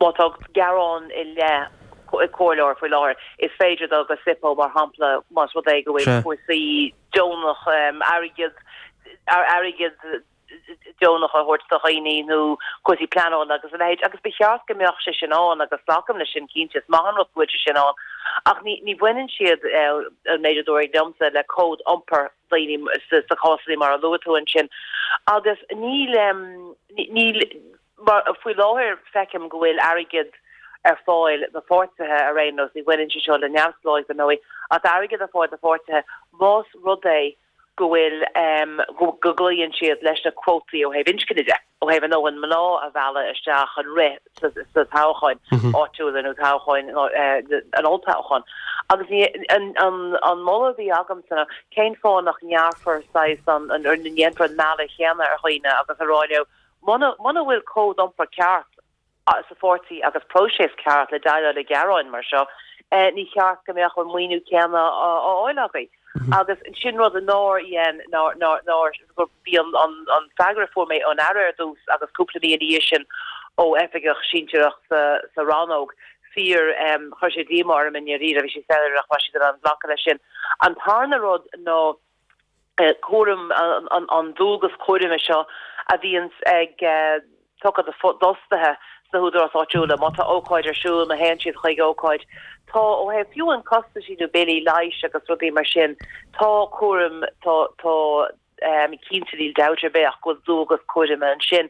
má tá gearán i leith comhairleoir faoi láthair, is féidir dul go SIPO mar shampla más rud é go bhfuil cúrsaí deonach, airgead, airgead deonach á thabhairt do dhaoine nó cúrsaí pleanála agus a leithéid agus ba cheart go mbeadh sé sin ann agus glacaim leis sin cinnte, is maith an rud go bhfuil sé sin ann ach ní ní bhaineann siad, an méid a dúradh liomsa, le cód iompair. daoine sa cásanna mar a luaigh tú ansin. Agus níl, níl, mar, faoi láthair feicim go bhfuil airgead ar fáil do pháirtithe ar aon nós, ní bhaineann sé seo le neamhspleáigh dar ndóigh, ach tá airgead ar fáil do pháirtithe más rud é go bhfuil, go gcloíonn siad leis na cuótaí ó thaobh inscne de. ó thaobh a ndóthain mná a mhealladh isteach chun rith sa toghcháin áitiúla nó toghcháin an olltoghchán. Agus an moladh a bhí agamsa ná cén fáth nach ngearrfar saghas an, nó ndéanfar an mealladh chéanna ar dhaoine agus a rá leo muna bhfuil cód iompair ceart sa pháirtí agus próiseas ceart le déileáil le gearáin mar seo, ní cheart go mbeadh an maoiniú céanna á fháil agaibh. Agus sin rud nár dhein, nár, nár, nár, bhí an, an, an freagra a fuair mé ón Aire ar dtús agus cúpla mí ina dhiaidh sin ó oifigeach sinsearach sa, sa rannóg, fíor, chuir sé díomá orm i ndáiríre, bhí sé soiléir nach raibh siad in ann glacadh leis sin. An tarna rud ná, cúram, an dualgas cúraim seo a bhíonns ag tugtha d'fhostaithe sna húdaráis áitiúla má tá ócáid ar siúl, má théann siad chuig ócáid. Tá, ó thaobh fiú an costaisí nó billí leighis agus rudaí mar sin, tá cúram, tá, tá, cinnte níl dabht ar bith ach go bhfuil dualgas cúraim ansin.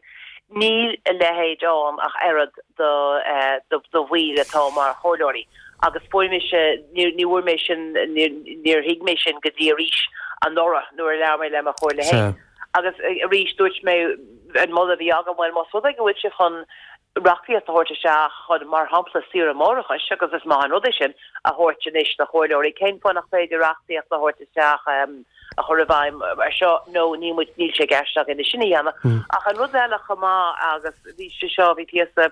Níl a leithéid ann ach oiread do bhaill atá mar chomhairleoirí. Agus fuair mise, ní bhfuair mé sin, níor thuig mé sin go dtí arís anuraidh nuair a labhair mé le mo chomhairle féin. Agus arís dúirt mé, an moladh a bhí agam, bhuel más rud é go bhfuil sibh chun reachtaíocht a thabhairt isteach chun, mar shampla, saoire máithreachais, agus is maith an rud é sin, a thabhairt anois do chomhairleoirí, cén fáth nach féidir reachtaíocht a thabhairt isteach a chur i bhfeidhm ar seo nó níl muid, níl sé i gceist againn é sin a dhéanamh. Ach an rud eile chomh maith agus bhí sé seo, bhí píosa,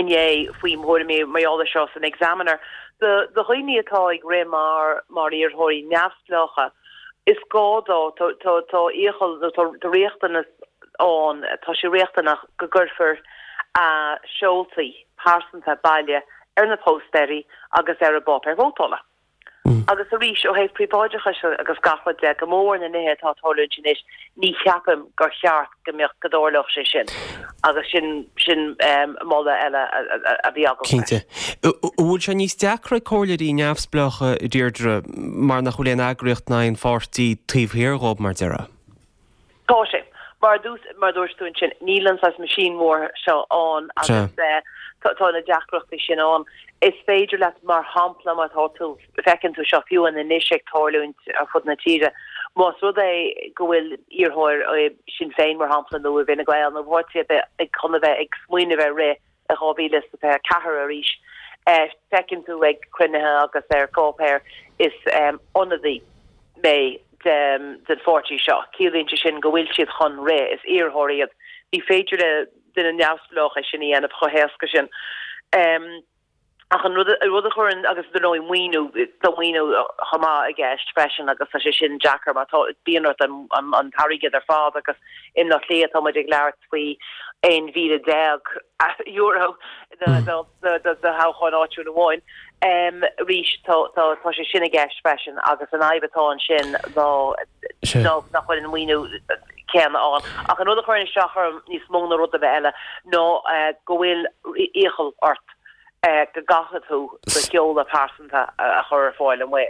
inné faoi thuairimí mar gheall air seo san Examiner. Do dhaoine atá ag rith mar mar iarrthóirí neamhspleácha, is gá dó, tá tá iachall nó tá riachtanas ann, tá sé riachtanach go gcuirfear a seoltaí pearsanta baile ar na póstaeirí agus ar an bpáipéar vótála. Agus arís, ó thaobh príobháideachais agus gach rud de, go mór na nithe atá ag tarlúint anois, ní cheapaim gur cheart go mbeadh, go dtarlódh sé sin. Agus sin, sin moladh eile a bhí agam freisin. Cinnte. An bhfuil sé níos deacra ag comhairleoirí neamhspleácha, a Deirdre, mar nach bhfuil aon eagraíocht ná aon pháirtí taobh thiar dhóibh, mar déarfá? Tá sé. Mar a dúirt tú ansin, níl an saghas machine mhór seo ann agus tá na deacrachtaí sin ann. Is féidir leat, mar shampla, má tá tú, feiceann tú seo fiú anois ag tarlúint ar fud na tíre, más rud é go bhfuil iarrthóir i Sinn Féin, mar shampla, nó i bhFine Gael nó páirtí ar bith ag chun a bheith ag smaoineamh ar rith i 2024 arís, feiceann tú ag cruinnithe agus ar pháipéir, is ionadaí mé den pháirtí seo. Ciallaíonn sé sin go bhfuil siad chun rith, is iarrthóir iad. Ní féidir le duine neamhspleách é sin a dhéanamh chomh héasca sin. Ach an rud a chuireann, agus dar ndóigh maoiniú, tá maoiniú chomh maith i gceist freisin agus tá sé sin deacair mar tá, bíonn ort an t-airgead ar fad agus i mBaile Átha Cliath tá muid ag labhairt faoi €11,000 do thoghchán áitiúil amháin. Arís tá sé sin i gceist freisin agus an fhadhb atá ansin ná nach bhfuil an maoiniú céanna ann. Ach an rud a chuireann isteach orm níos mó ná rud ar bith eile ná go bhfuil iachall ort. Go gcaithfidh tú do sheoladh pearsanta a chur ar fáil amuigh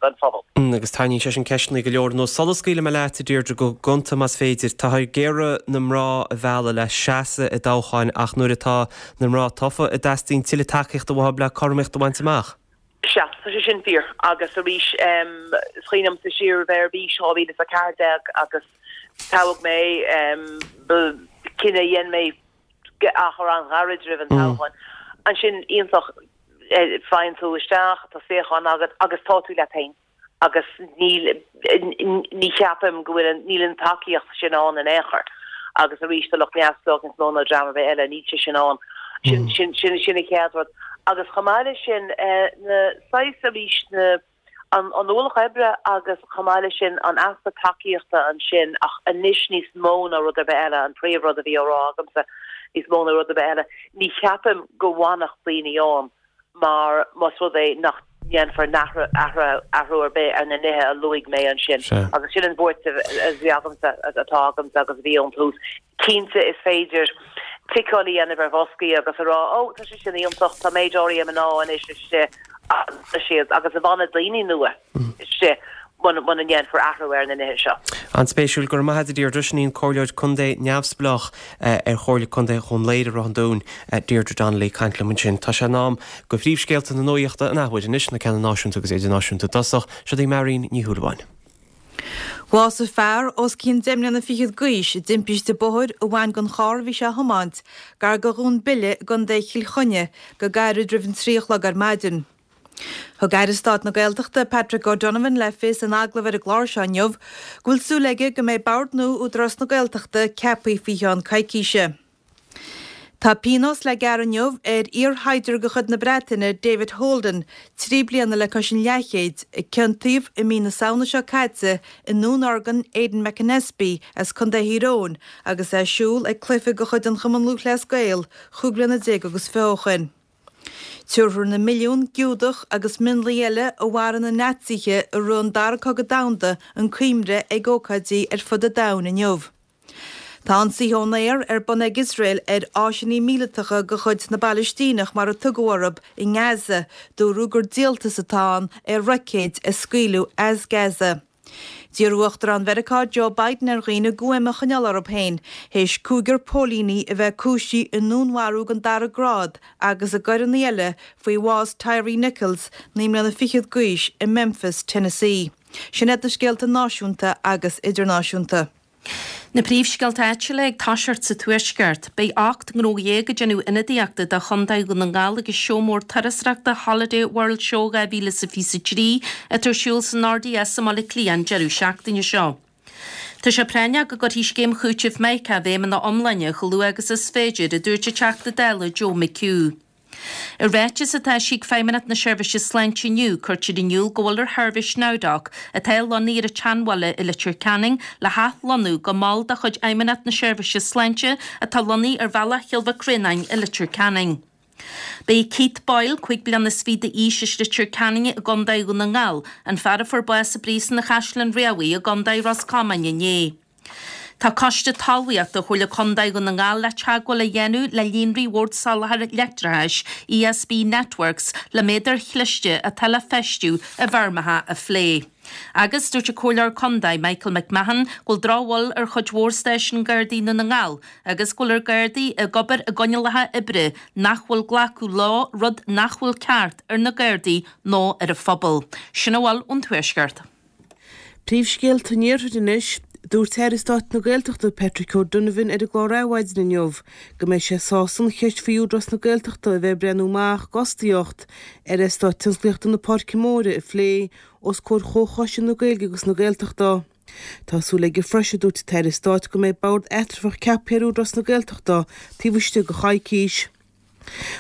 don phobal. Agus tarraingíonn sé sin ceisteanna go leor anuas. Sula scaoilfidh mé leat, a Deirdre, go gonta más féidir, táthar ag iarraidh na mná a mhealladh le seasamh i dtoghcháin ach nuair atá na mná tofa, an dteastaíonn tuilleadh tacaíochta uathu le cothromaíocht a bhaint amach. Sea, tá sé sin fíor. Agus arís, is cuimhin liomsa siar a bheith ar bís 2014 agus toghadh mé, ba cinneadh a dhein mé achar an-ghairid roimh an toghchán. Ansin, iontach, faigheann tú isteach, tá suíochán agat agus tá tú leat féin agus níl, ní cheapaim go bhfuil an, níl an tacaíocht sin ann in aon chor. Agus arís, do lucht neamhspleách níos mó ná dream ar bith eile, níl sé sin ann. Sin, sin, sin, sin an chéad rud. Agus chomh maith leis sin, na saghas arís, na, an ualach oibre agus chomh maith leis sin an easpa tacaíochta ansin ach anois níos mó ná rud ar bith eile, an príomhrud a bhí á rá agamsa, níos mó ná rud ar bith eile, ní cheapaim go bhfanfadh daoine ann mar más rud é nach ndéanfar athrú ar bith ar na nithe a luaigh mé ansin agus sin an bhuairt a bhí agamsa, atá agamsa agus a bhí ón tús. Cinnte is féidir ticeáil a dhéanamh ar bhoscaí agus a rá 'Ó, tá sé sin iontach, tá méid áirithe mná anois istigh siad agus an bhfanfaidh daoine nua istigh muna ndéanfar athrú ar na nithe seo. An-spéisiúil. Go raibh maith agat a Deirdre. Sin í an Comhairleoir Contae neamhspleách ar Chomhairle Contae Dhún Laoghaire Ráth an Dúin, Deirdre Donnelly, ag caint liom ansin. Tá sé in am do phríomhscéalta na nuachta an athuair anois, na ceanna náisiúnta agus idirnáisiúnta i dtosach. Siod í Marion Ní Shúilleabháin. Bhásaigh fear os cionn deich mbliana fichead d'aois i dtimpiste bóthair a bhain den charr a bhí sé a thiomáint gar do Dhún Bile i gContae Chill Chainnigh go gairid roimh an 3 a chlog ar maidin. Thug Aire Stáit na Gaeltachta Patrick O'Donovan le fios in agallamh ar an gclár seo inniu go bhfuil súil aige go mbeidh bord nua Údarás na Gaeltachta ceaptha faoi cheann coicíse. Tá pionós le gearradh inniu ar iar-shaighdiúir de chuid na Breataine, David Holden, 3 bliana le cois an leathchéid, a ciontaíodh i mí na Samhna seo caite i ndúnorgain Aidan McAnespie as Contae Thír Eoghain agus é ag siúl ag cluiche de chuid an Chumann Lúthchleas Gael chúig bliana déag agus fiche ó shoin. Tabharfar na milliúin Giúdach agus mionlaigh eile a mharaigh na Naitsithe i rith an Dara Cogadh Domhanda chun cuimhne ag ócáidí ar fud an domhain inniu. Tá ionsaithe ón aer ar bun ag Iosrael ar áiseanna míleatacha de chuid na bPalaistíneach, mar a tugadh orthu, i nGaza. Dúradh gur díoltas atá ann ar roicéid a scaoileadh as Gaza. D'iarr Uachtarán Mheiriceá Joe Biden ar dhaoine guaim a choinneáil orthu féin théis cúigear póilíní a bheith cúisithe i ndúnmharú den dara grád agus i gcoireanna eile faoi bhás Tyre Nichols, 9 mbliana fichead d'aois, i Memphis, Tennessee. Sin iad na scéalta náisiúnta agus idirnáisiúnta. Na príomhscéalta áitiúla ag toiseacht sa Tuaisceart. Beidh 18 ngnó ag déanamh ionadaíochta do Chontae Dhún na nGall ag an seó mór turasóireachta Holiday World Show 2023 atá ar siúl san RDS i mBaile Átha Cliath an deireadh seachtaine seo. Tá sé práinneach go gcuirfí scéim chúitimh Micah i bhfeidhm ina iomláine chomh luath agus is féidir, a dúirt an Teachta Dála Joe McHugh. I ráiteas atá eisithe ag Feidhmeannacht na Seirbhíse Sláinte inniu, cuirtear in iúl go bhfuil ar sheirbhís NowDoc, atá lonnaithe ar an tSeanbhaile i Leitir Ceanainn, le hathlonnú go mol de chuid Fheidhmeannacht na Seirbhíse Sláinte atá lonnaithe ar Bhealach Chill Mhic Réanáin i Leitir Ceanainn. Ba é Keith Boyle, 25 bliana d'aois as Leitir Ceanainn i gContae Dhún na nGall, an fear a fuair bás i bPríosún an Chaisleáin Riabhaigh i gContae Ros Comáin inné. Tá Coiste Talmhaíochta Chomhairle Contae Dhún na nGall le teagmháil a dhéanamh le Líonraí Bhord Soláthair Leictreachais, ESB Networks, le méadair chliste atá le feistiú i bhfeirmeacha a phlé. Agus dúirt an Comhairleoir Contae Michael McMahon go bhfuil drochbhail ar chuid mhór stáisiún Gardaí i nDún na nGall agus go bhfuil ar Gardaí ag obair i gcoinníollacha oibre nach bhfuil glacadh leo, rud nach bhfuil ceart ar na Gardaí nó ar an phobal. Sin a bhfuil ón Tuaisceart. Príomhscéalta an Iarthair anois. Dúirt Aire Stáit na Gaeltachta Patrick O'Donovan ar an gclár Adhmhaidin inniu go mbeidh sé sásta an cheist faoi Údarás na Gaeltachta a bheith ag breathnú amach d'fhostaíocht ar Eastát Tionsclaíochta na Páirce Móire a phlé os comhair Chomhchoiste na Gaeilge agus na Gaeltachta. Tá súil aige freisin, a dúirt an tAire Stáit, go mbeidh bord eatramhach ceaptha ar Údarás na Gaeltachta taobh istigh de choicís.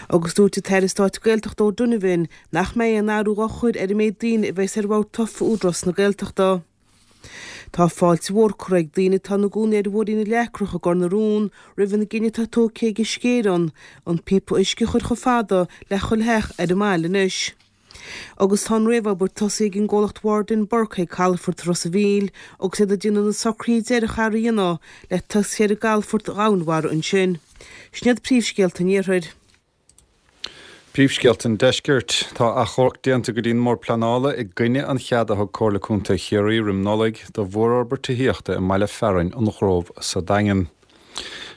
Agus dúirt an tAire Stáit Gaeltachta O'Donovan nach mbeidh aon athrú á chur ar an méid daoine a bheas ar bhord tofa Údarás na Gaeltachta. Tá fáilte mhór curtha ag daoine atá ina gcónaí ar Bhóithrín na Leacrach i gCor na Rón roimh an gcinneadh atá tógtha ag Uisce Éireann an píopa uisce a chur chomh fada le chuile theach ar an mbaile anois. Agus tá an réamhobair tosaithe ag an gcomhlacht Ward and Burke ag calafort Ros a' Mhíl agus iad ag déanamh na socruithe deiridh a dhéanamh le tosaí ar an gcalafort dhomhainmhara ansin. Sin iad príomhscéalta an Iarthair. Príomhscéalta an Deiscirt. Tá achomharc déanta go dtí an mBord Pleanála i gcoinne an cheada a thug Comhairle Contae Chiarraí roim Nollaig do mhórfhorbairt tithíochta i mbaile fearainn an Ghrove sa Daingean.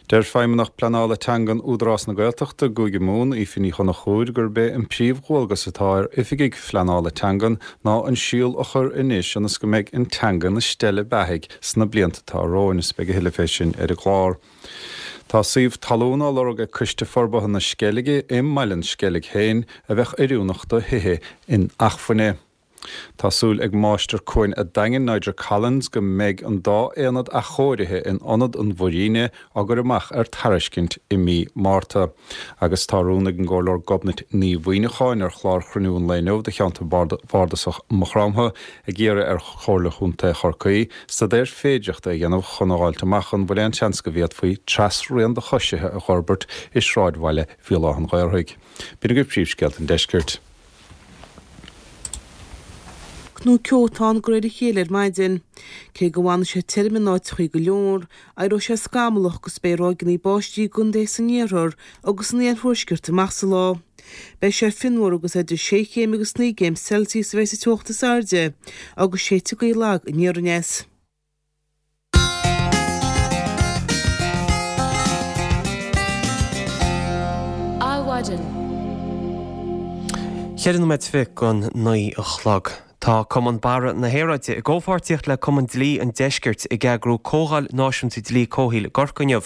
Deir Feidhmeannach Pleanála Teangan Údarás na Gaeltachta i gCúige Mumhan, Aoife Ní Chonchúir, gurb é an príomhdhualgas atá ar oifigigh phleanála teangan ná an síol a chur anois ionas go mbeidh an teanga ina steille beathaidh sna blianta atá romhainn. Is beidh a thuilleadh fé sin ar an gclár. Tá suíomh talún á lorg ag Coiste Forbartha na Sceilge i mBaile an Sceilg féin a bheadh oiriúnach do thithe inacmhainne. Tá súil ag Máistir Cuain a' Daingin, Nigel Collins, go mbeidh an dá aonad athchóirithe in Ionad an Mhuiríne á gcur amach ar tairiscint i mí Márta. Agus tá rún ag an gComhairleoir Gobnait Ní Mhuimhneacháin ar chlár Chruinniú an Lae Inniu do cheantar Bhardasach Maigh Chromtha ag iarraidh ar Chomhairle Chontae Chorcaí staidéar féidearthachta a dhéanamh chun a dh'fháilt amach an bhfuil aon seans go bhféadfaí trasrian do choisithe a dh'fhorbairt i sráidbhaile Bhéal Átha an Ghaorthaidh. B'in agaibh príomhscéalta an deiscirt. Nó ceo atá ann de réir a chéile ar maidin. Cé go bhfanfaidh sé tirim in áiteachaí go leor, éireoidh sé scamallach agus beidh ráigeanna báistí i gcontaetha san iarthar agus san iarthuaisceart amach sa lá. Beidh sé fionnuar agus idir sé chéim agus naoi gcéim Celsius a bheidh sa teocht is airde agus séidfidh gaoth lag aniar aneas. Adhmhaidin. 4 nóiméad 8:30 a chlog. Tá Cumann Barra na hAeráide i gcomhpháirtíocht le Cumann Dlí an Deiscirt ag eagrú Comhdháil Náisiúnta Dlí Comhshaoil i gCorcaigh inniu.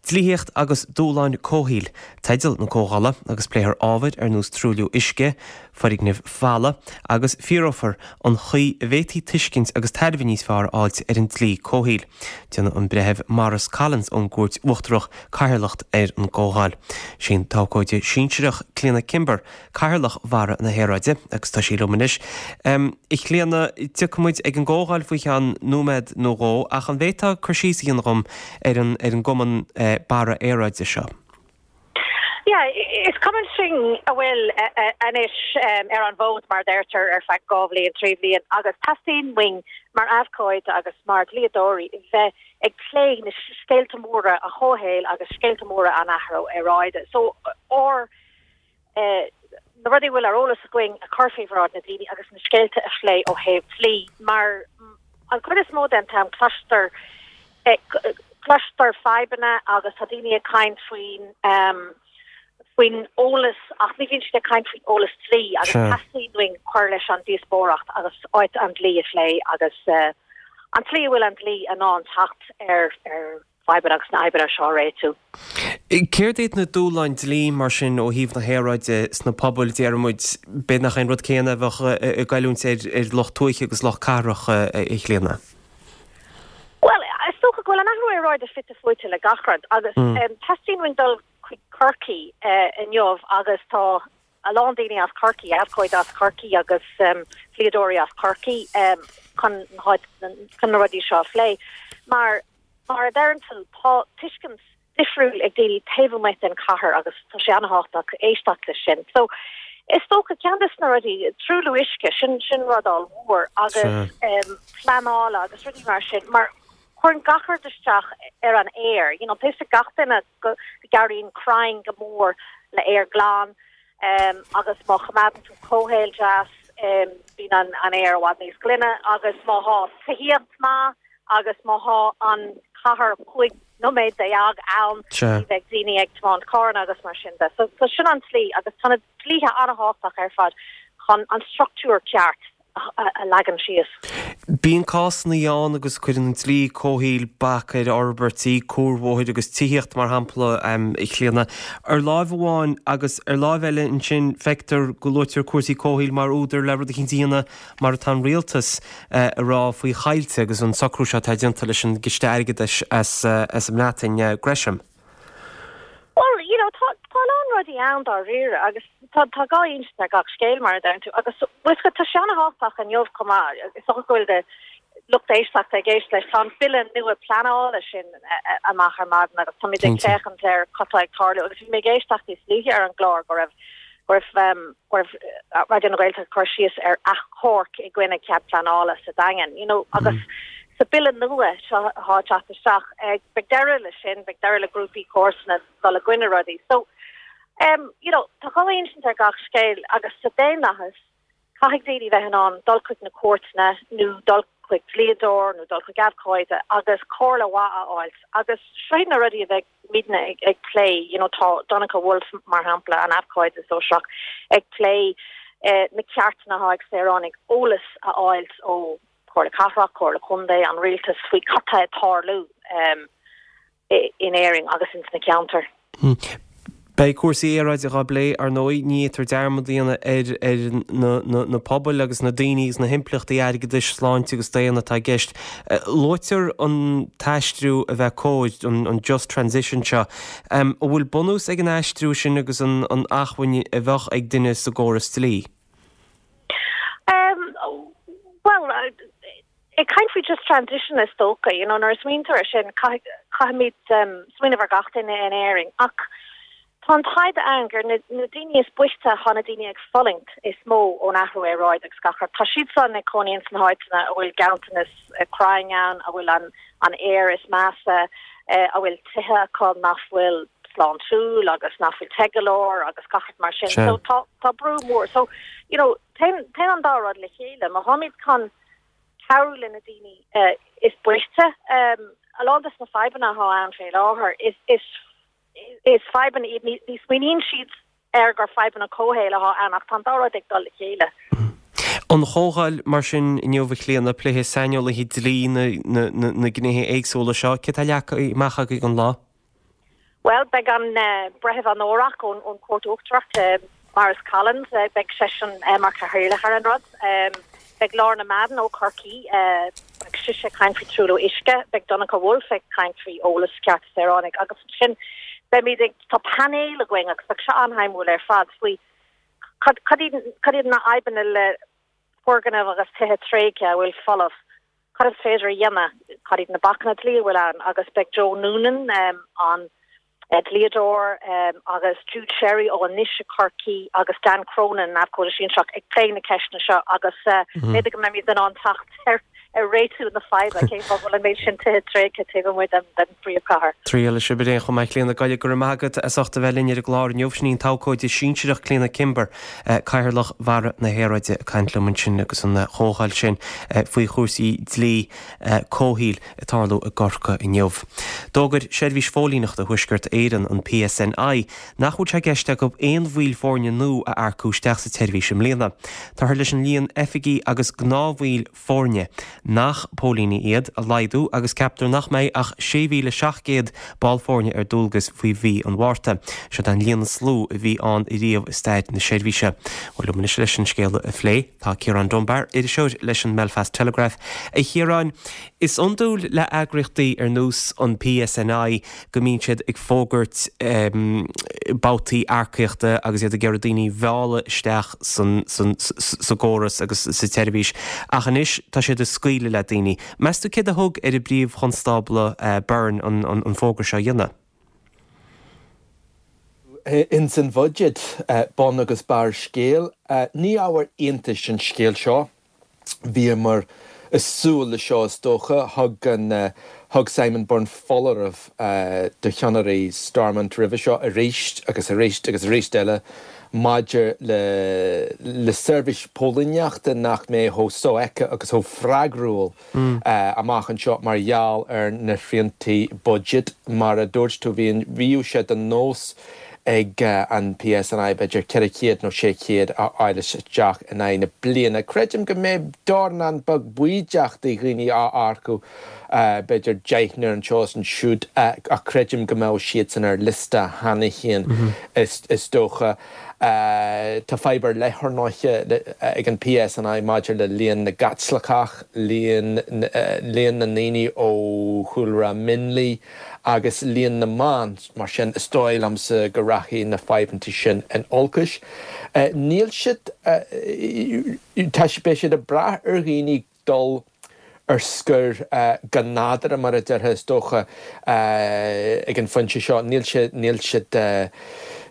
Dlíthíocht agus Dúshláin Comhshaoil teideal na comhdhála agus pléifear ábhair ar nós truailliú uisce, foirgnimh mhalla agus fíorófar an chaoi a bhféadfaí tuiscint agus tairbhe níos fearr a fháilt ar an dlí comhshaoil. Déanfaidh an Breitheamh Maurice Collins ón gCúirt Uachtarach cathaoirleacht ar an gcomhdháil. Sí an t-abhcóide sinsearach Clíona Kimber cathaoirleach Bharra na hAeráide agus tá sí liom anois. A Chlíona, tiocfaidh muid ag an gcomhdháil faoi cheann nóiméad nó dhó ach an bhféadfá cur síos a dhéanamh dhom ar an ar an gcumann Barra Aeráide seo? Yeah, is cumann sinn a bhfuil anois ar an bhfód, mar a deirtear, ar feadh 2 bhliain, 3 bhliain agus teastaíonn uainn mar abhcóide agus mar dhlíodóirí bheith ag plé na scéalta móra an chomhshaoil agus scéalta móra an athrú aeráide. So, ár na rudaí a bhfuil ar eolas againn a chur faoi bhráid na daoine agus na scéalta a phlé ó thaobh dlí mar an chuid is mó den t-am cloistear Cloistear fadhbanna agus tá daoine ag caint faoin faoin eolas ach ní bhíonn siad ag caint faoin eolas dlí agus teastaíonn uainn cur leis an díospóireacht agus áit an dlí a phlé agus an tslí a bhfuil an dlí in ann teacht ar ar fadhbanna agus na fadhbanna seo a réitiú. Céard iad na dúshláin dlí mar sin ó thaobh na haeráide sna pobail, déarfaidh muid, b'fhéidir nach é an rud céanna a bheadh ag goilliúint ar lucht tuaithe agus lucht cathrach, a Chlíona? Bhuel, is dócha go bhfuil an athrú aeráide fite fuaite le gach rud agus teastaíonn uainn dul chuig Corcaigh inniu agus tá a lán daoine as Corcaigh, abhcóidí as Corcaigh agus dlíodóirí as Corcaigh chun chun na rudaí seo a phlé. Mar mar a deireann tú, tá tuiscint difriúil ag daoine taobh amuigh den chathair agus tá sé an-thábhachtach éisteacht leis sin. So, is dócha ceann de na rudaí, truailliú uisce, sin sin rud ollmhór agus pleanála agus rudaí mar sin, mar cuireann gach rud isteach ar an aer, you know, tá a fhios ag gach duine go gcabhraíonn crainn go mór le aer glan agus má choimeádann tú comhshaol deas, bíonn an an aer i bhfad níos glaine agus má thá tithíocht maith agus má thá an chathair 15 nóiméad ann, ní bheidh daoine ag tiomáint carranna agus mar sin de. So, so sin an tslí agus tá na dlíthe an-thábhachtach ar fad chun an struchtúr ceart a leagan síos. Bíonn cásanna ann agus cuireann an dlí comhshaoil bac ar fhorbairtí, cuarbhóthair agus tithíocht mar shampla, a Chlíona, ar láimh amháin agus ar láimh eile ansin feictear go luaitear cúrsaí comhshaoil mar údar le rud eicínt a dhéanamh mar atá an rialtas a rá faoi choillte agus an socrú seo atá déanta leis an gCiste Airgeadais as an mBreatain, Gresham. Bhuel, you know, tá tá a lán rudaí ann dáiríre agus tá tá dhá insint ar gach scéal mar a deireann tú agus bhfuil a fhios agat tá sé an-thábhachtach inniu chomh maith, is dócha go bhfuil do lucht éisteachta ag éisteacht leis, tá an bille nua pleanála sin amach ar maidin agus táimid ag féachaint ar cad tá ag tarlú agus bhí mé ag éisteacht níos luaithe ar an gclár go raibh go raibh go raibh Raidió na Gaeltachta ag cur síos ar achomharc i gcoinne cead pleanála sa Daingean, you know, agus sa bille nua seo atá ag teacht isteach, beidh deireadh leis sin, beidh deireadh le grúpaí comharsana dul i gcoinne rudaí. So, You know, tá dhá insint ar gach scéal agus sa daonlathas, Caithfidh daoine bheith in ann dul chuig na cúirteanna nó dul chuig dlíodóir nó dul chuig abhcóide agus comhairle mhaith a fháilt agus seo iad na rudaí a bheidh muidne ag plé, you know tá Donncha Woulfe mar shampla, an abhcóide sóisearach, ag plé na ceartanna atá ag saoránaigh eolas a fháilt ó Chomhairle Cathrach, Comhairle Contae, an Rialtas faoi cad tá ag tarlú. in Éirinn agus ins na ceantair. Beidh cúrsaí aeráide dhá bplé, ar ndóigh. Ní fhéadtar dearmad a dhéanamh ar ar na pobail agus na daoine agus na himpleachtaí airgeadais, sláinte agus daonna atá i gceist. Luaitear an t-aistriú a bheith cóir, an just transition seo. An bhfuil bunús ag an aistriú sin agus an acmhainn a bheadh ag duine sa gcóras dlí? Bhuel, Ag caint faoi just transition is dócha, you know, nuair a smaointear ar sin, caithfimid smaoineamh ar gach duine in Éirinn. Ach tá an taighde ann gur na daoine is boichte atá na daoine ag fulaingt is mó ón athrú aeráide agus gach rud. Tá siad san ag cónaí ins na háiteanna a bhfuil ganntanas crainn ann, a bhfuil an an aer is measa, a bhfuil tithe acu nach bhfuil sláintiúil agus nach bhfuil te go leor agus gach rud mar sin. So tá tá brú mór. So, you know, téann téann an dá rud le chéile. Má tháimid chun cabhrú le na daoine is boichte. A lán des na fadhbanna atá ann fé láthair, is fadhbanna iad, ní smaoiníonn siad air gur fadhbanna comhshaoil atá ann ach tá an dá rud ag dul le chéile. An chomhdháil mar sin inniu a Chlíona, pléifidh saineolaithe dlí na gnéithe éagsúla seo. Céard atá leagtha amach agaibh don lá? Bhuel, beidh an Breitheamh Onórach ón Chúirt Uachtarach, Maurice Collins, beidh seisean mar chathaoirleach ar an rud. Beidh Lorna Madden ó Chorcaí, beidh sise ag caint faoi truailliú uisce, beidh Donncha Woulfe ag caint faoi eolas cearta saoránaigh agus ansin beimid ag, tá painéal againn agus beidh seo an-shuimiúil ar fad faoi cad, cad iad na fadhbanna le foirgnimh agus tithe tréigthe a bhfuil folamh. Cad is féidir a dhéanamh? Cad iad na bacanna dlí a bhfuil ann? Agus beidh Joe Noonan, an dlíodóir, agus Jude Sherry ó Anois i Corcaigh agus Dan Cronin, an abhcóide sinsearach, ag plé na ceisteanna seo agus b'fhéidir go mbeimid in ann teacht ar réitiú na faidhbe, cén fáth go bhfuil an méid sin tithe tréigthe taobh amuigh den phríomhchathair. Triail sibh ar aon chuma, a Chlíona. Go raibh maith agat as ucht a bheith linn ar an gclár inniu. Sin í an t-abhcóide sinsearach Clíona Kimber. Cathaoirleach Bharra na hAeráide ag caint liom ansin agus an chomhdháil sin faoi chúrsaí dlí comhshaoil ag tarlú i gCorcaigh inniu. D'fhógair Seirbhís Phóilíneachta Thuaisceart Éireann, an PSNI, nach bhfuil sé i gceist acu aon bhaill foirne nua a earcú isteach sa tseirbhís i mbliana. Táthar leis an líon oifigigh agus gnáthbhaill foirne, nach póilíní iad, a laghdú agus ceaptar nach mbeidh ach 6,700 ball foirne ar dualgas faoi mhí an Mhárta. Seo an líon is lú a bhí ann riamh i stair na seirbhíse. Bhuel, liom anois leis an scéal a phlé, tá Ciarán Dunbar, iriseoir leis an mBelfast Telegraph. A Chiaráin, is iondúil le eagraíochtaí ar nós an PSNI go mbíonn siad ag fógairt babhtaí earcaíochta agus iad ag iarraidh daoine a mhealladh isteach sa gcóras agus sa tseirbhís ach anois tá siad ag scaoileadh le daoine. Meas tú céard a thug ar an bPríomh-Chonstábla Byrne an fógra seo a dhéanamh? Ins an bhuiséad, bun agus barr scéil. Ní ábhar iontais an scéal seo. Bhíomar ag súil le seo is dócha. Thug an thug Simon Byrne foláireamh do cheannairí Stormont roimhe seo arís agus arís agus arís eile maidir le le seirbhís póilíneachta nach mbeidh chomh sofheicthe agus chomh freagrúil amach anseo mar gheall ar na sriantaí buiséid. Mar a dúirt tú, bhí bhíodh sé de nós ag an PSNI b'fhéidir 400 nó 600 a fháil isteach in aghaidh na bliana. Creidim go mbeidh dornán beag baoideach de dhaoine á earcú, b'fhéidir deichniúr anseo is ansiúd, ach creidim go mbeadh siadsan ar liosta cheana féin is dócha. Tá fadhb ar leith, ar ndóighe, ag an PSNI maidir le líon na gCaitliceach, líon na ndaoine ó chúlra mionlaigh agus líon na mban. Mar sin, is dóigh liomsa go rachaidh na fadhbanna sin in olcais. Níl siad, tá, beidh siad ag brath ar dhaoine dul ar scor go nádúrtha, mar a déarfá, is dócha, ag an phointe seo. Níl sé, níl siad,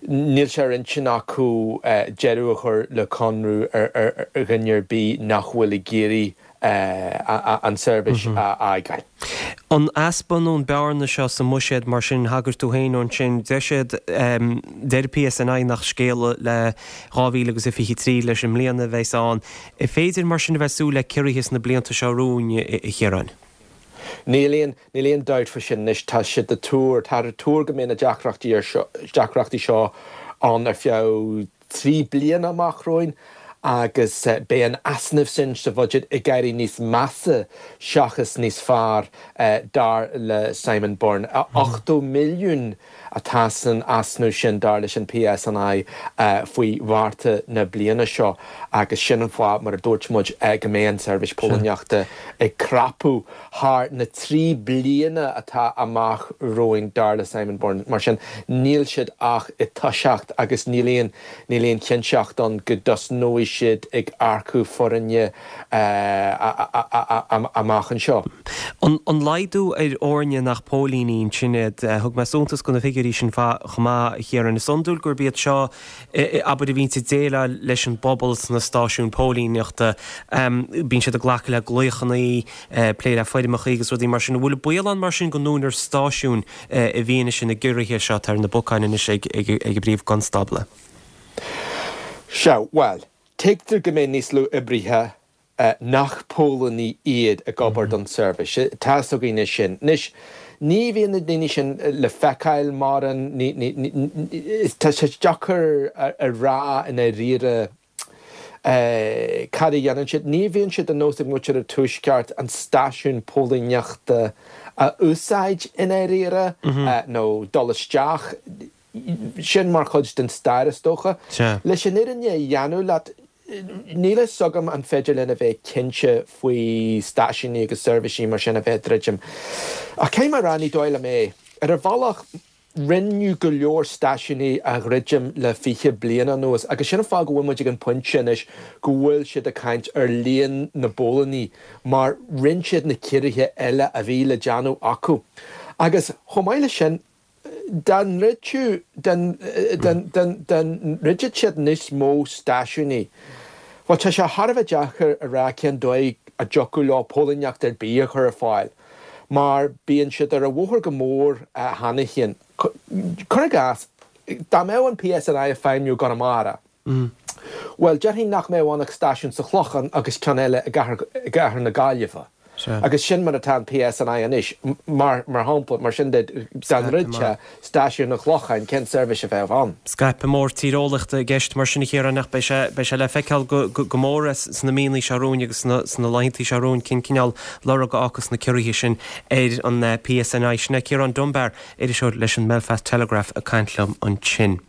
níl sé ar intinn acu deireadh a chur le conradh ar dhuine ar bith nach bhfuil ag iarraidh an tseirbhís a fhágáil. An easpa nó an bearna seo sa mbuiséad mar sin, thagair tú féin ansin, deir siad, deir PSNI nach scéal le 2023 leis an mbliana a bheas ann. An féidir mar sin a bheith súil le ciorruithe sna blianta seo romhainn, a Chiaráin? Níl aon, níl aon dabht faoi sin anois. Tá siad ag tuar, táthar ag tuar go mbeidh na deacrachtaí ar seo, deacrachtaí seo ann ar feadh 3 bliana amach romhainn agus beidh an easnamh sin sa bhuiséad ag éirí níos measa seachas níos fearr, dar le Simon Byrne. 80 milliún atá san easnamh sin, dar leis an PSNI, faoi Mhárta na bliana seo agus sin an fáth, mar a dúirt muid, go mbeidh an tseirbhís póilíneachta ag crapadh thar na 3 bliana atá amach romhainn, dar le Simon Byrne. Mar sin, níl siad ach ag toiseacht agus níl aon, níl aon chinnteacht ann go dtosnóidh siad ag earcú foirne amach anseo. An laghdú ar fhoirne nach póilíní ansin iad, thug mé suntas do na figiúirí sin chomh maith, a Chiaráin. Is iondúil gurb iad seo, abair, a bhíonns ag déileáil leis an bpobal sna stáisiúin póilíneachta. Bíonn siad ag glacadh le glaochanna, plé le foirmeacha agus rudaí mar sin. An bhfuil baol ann mar sin go ndúnfar stáisiúin i bhfianaise na gciorruithe seo atá ar na bacáin anois ag an bPríomh-Chonstábla? Sea, bhuel, tuigtear go mbeidh níos lú oibrithe nach póilíní iad ag obair don tseirbhís. Tá's againn é sin. Anois, ní bhíonn na daoine sin le feiceáil mórán, tá sé deacair a rá i ndáiríre cad a dhéanann siad. Ní bhíonn sé de nós ag muintir an Tuaiscirt an stáisiún póilíneachta a úsáid i ndáiríre, nó dul isteach. Sin mar chuid den stair, is dócha. Leis an fhírinne a dhéanamh leat, níl a fhios agam an féidir linn a bheith cinnte faoi stáisiúin agus seirbhísí mar sin a bheith ag druidim. Ach caithfidh mé a rá, ní dóigh liom é. Ar bhealach, rinneadh go leor stáisiúin a dhruidim le 20 bliain anuas agus sin an fáth go bhfuil muid ag an bpointe anois go bhfuil siad ag caint ar líon na bpóilíní mar rinne siad na ciorruithe eile a bhí le déanamh acu. Agus chomh maith leis sin, Dá ndruidfeadh, dá ndruidfeadh siad níos mó stáisiúin, bhuel, tá sé thar a bheith deacair a rá cén dóigh a dtiocfadh leo póilíneacht ar bith a chur ar fáil, mar bíonn siad ar an bhóthar go mór cheana féin. Cuir i gcás, dá mbeadh an PSNI ag feidhmiú i gConamara, Bhuel, déarfainn nach mbeadh ann ach stáisiún sa Chlochán agus ceann eile i gcathair na Gaillimhe. Agus sin mar atá an PSNI anois, mar shampla. Mar sin de, dá ndruidfeá stáisiún an Chlocháin, cén seirbhís a bheadh ann? Scaipeadh mór tíreolaíochta i gceist mar sin, a Chiaráin, ach beidh sé, beidh sé le feiceáil go mór sna míonna seo romhainn agus sna laethanta seo romhainn cén cineál lorg a fhágfas na ciorruithe sin ar an PSNI. Sin é Ciarán Dunbar, iriseoir leis an mBelfast Telegraph ag caint liom ansin.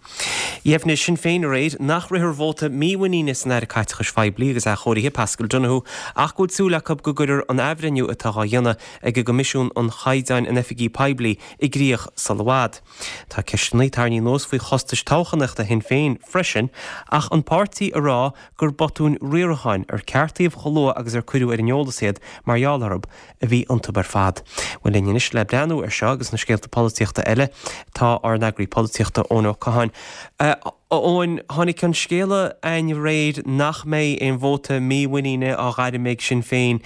Dheimhnigh Sinn Féin aréir nach rithfear vóta mímhuiníne san Aire Caiteachais Phoiblí agus Athchóirithe, Paschal Donohoe, ach go bhfuil súil acu go gcuirfear an athbhreithniú atá dhá dhéanamh ag an gCoimisiún um Chaighdeáin in Oifigí Poiblí i gcrích sul i bhfad. Tá ceisteanna tarraingthe anuas faoi chostais toghchánaíochta Shinn Féin freisin ach an páirtí ag rá gur botúin riaracháin ar ceartaíodh chomh luath agus ar cuireadh ar an eolas iad mar gheall orthu a bhí iontu ar fad. Bhuel linn anois le breathnú ar seo agus na scéalta polaitíochta eile tá ár n-eagraí polaitíochta Eoin Ó Catháin. A Eoin, tháinig an scéala chugainn aréir nach mbeidh aon vóta mímhuiníne á ghairm ag Sinn Féin,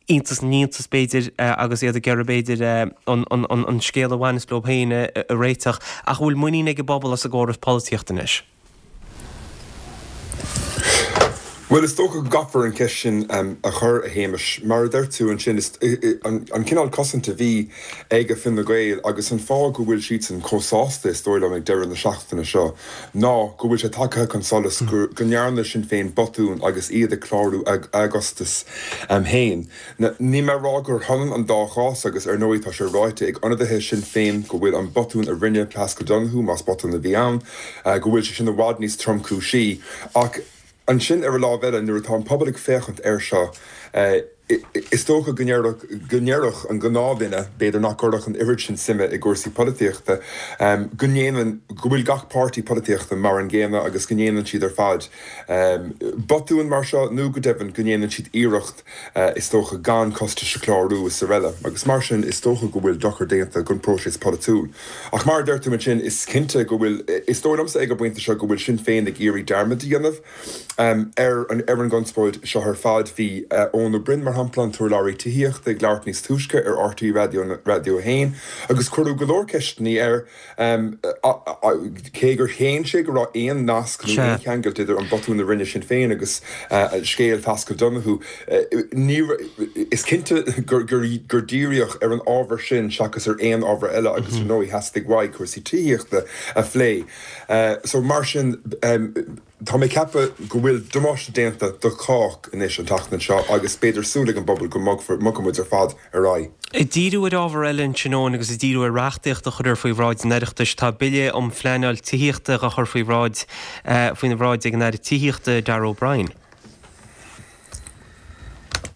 iontas na n-iontas b'fhéidir agus iad ag iarraidh b'fhéidir an scéal a bhaineas leo féin a réiteach, ach an bhfuil muinín ag an bpobal as an gcóras polaitíochta anois? Bhuel, is dócha go gcaithfear an cheist sin a chur, a Shéamais. Mar a deir tú ansin, is an cineál cosaint a bhí ag Fine Gael agus an fáth go bhfuil siadsan chomh sásta, is dóigh liom, ag deireadh na seachtaine seo, ná go bhfuil sé tagtha chun solais go ndearna Sinn Féin botún agus iad ag clárú a gcostas féin. Níl mé ag rá gur hionann an dá chás agus ar ndóigh tá sé ráite ag ionadaithe Shinn Féin go bhfuil an botún a rinne Paschal Donohoe, más botún a bhí ann, go bhfuil sé sin i bhfad níos tromchúisí. Ach ansin ar an lámh eile nuair atá an pobal ag féachaint air seo, is dócha go ndéarfadh, go ndéarfadh an gnáthdhuine, b'fhéidir nach gcuirfeadh an oiread sin suime i gcúrsaí polaitíochta, go ndéanann, go bhfuil gach páirtí polaitíochta mar an gcéanna agus go ndéanann siad ar fad botúin mar seo nó go deimhin go ndéanann siad iarracht is dócha, gan costais a chlárú is araile agus mar sin is dócha go bhfuil dochar déanta don próiseas polaitiúil. Ach mar a deir tú ansin, is cinnte go bhfuil, is dóigh liomsa ag an bpointe seo go bhfuil Sinn Féin ag iarraidh dearmad a dhéanamh ar an ar an gconspóid seo ar fad. Bhí Eoin Ó Broin, mar shampla. shampla, an t-urlabhraí tithíochta, ag labhairt níos túisce ar RTÉ Raidió 1 agus cuireadh go leor ceisteanna air cé gur shéan sé go raibh aon nasc nó aon cheangal idir an botún a rinne Sinn Féin agus scéal Phaschal Donohoe. Is cinnte gur díríodh ar an ábhar sin seachas ar aon ábhar eile agus ar ndóigh theastaigh uaidh cúrsaí tithíochta a phlé. So mar sin. Tá mé ag ceapadh go bhfuil damáiste déanta do chách anois an tseachtain seo agus b'fhéidir súil ag an bpobal go mbogfaidh muid ar fad ar aghaidh. Ag díriú ar ábhar eile ansin Eoin agus ag díriú ar reachtaíocht a chuirfear faoi bhráid an Oireachtais, tá Bille um Phleanáil Tithíochta á chur faoi bhráid faoina bhráid ag an Aire Tithíochta Darragh O'Brien.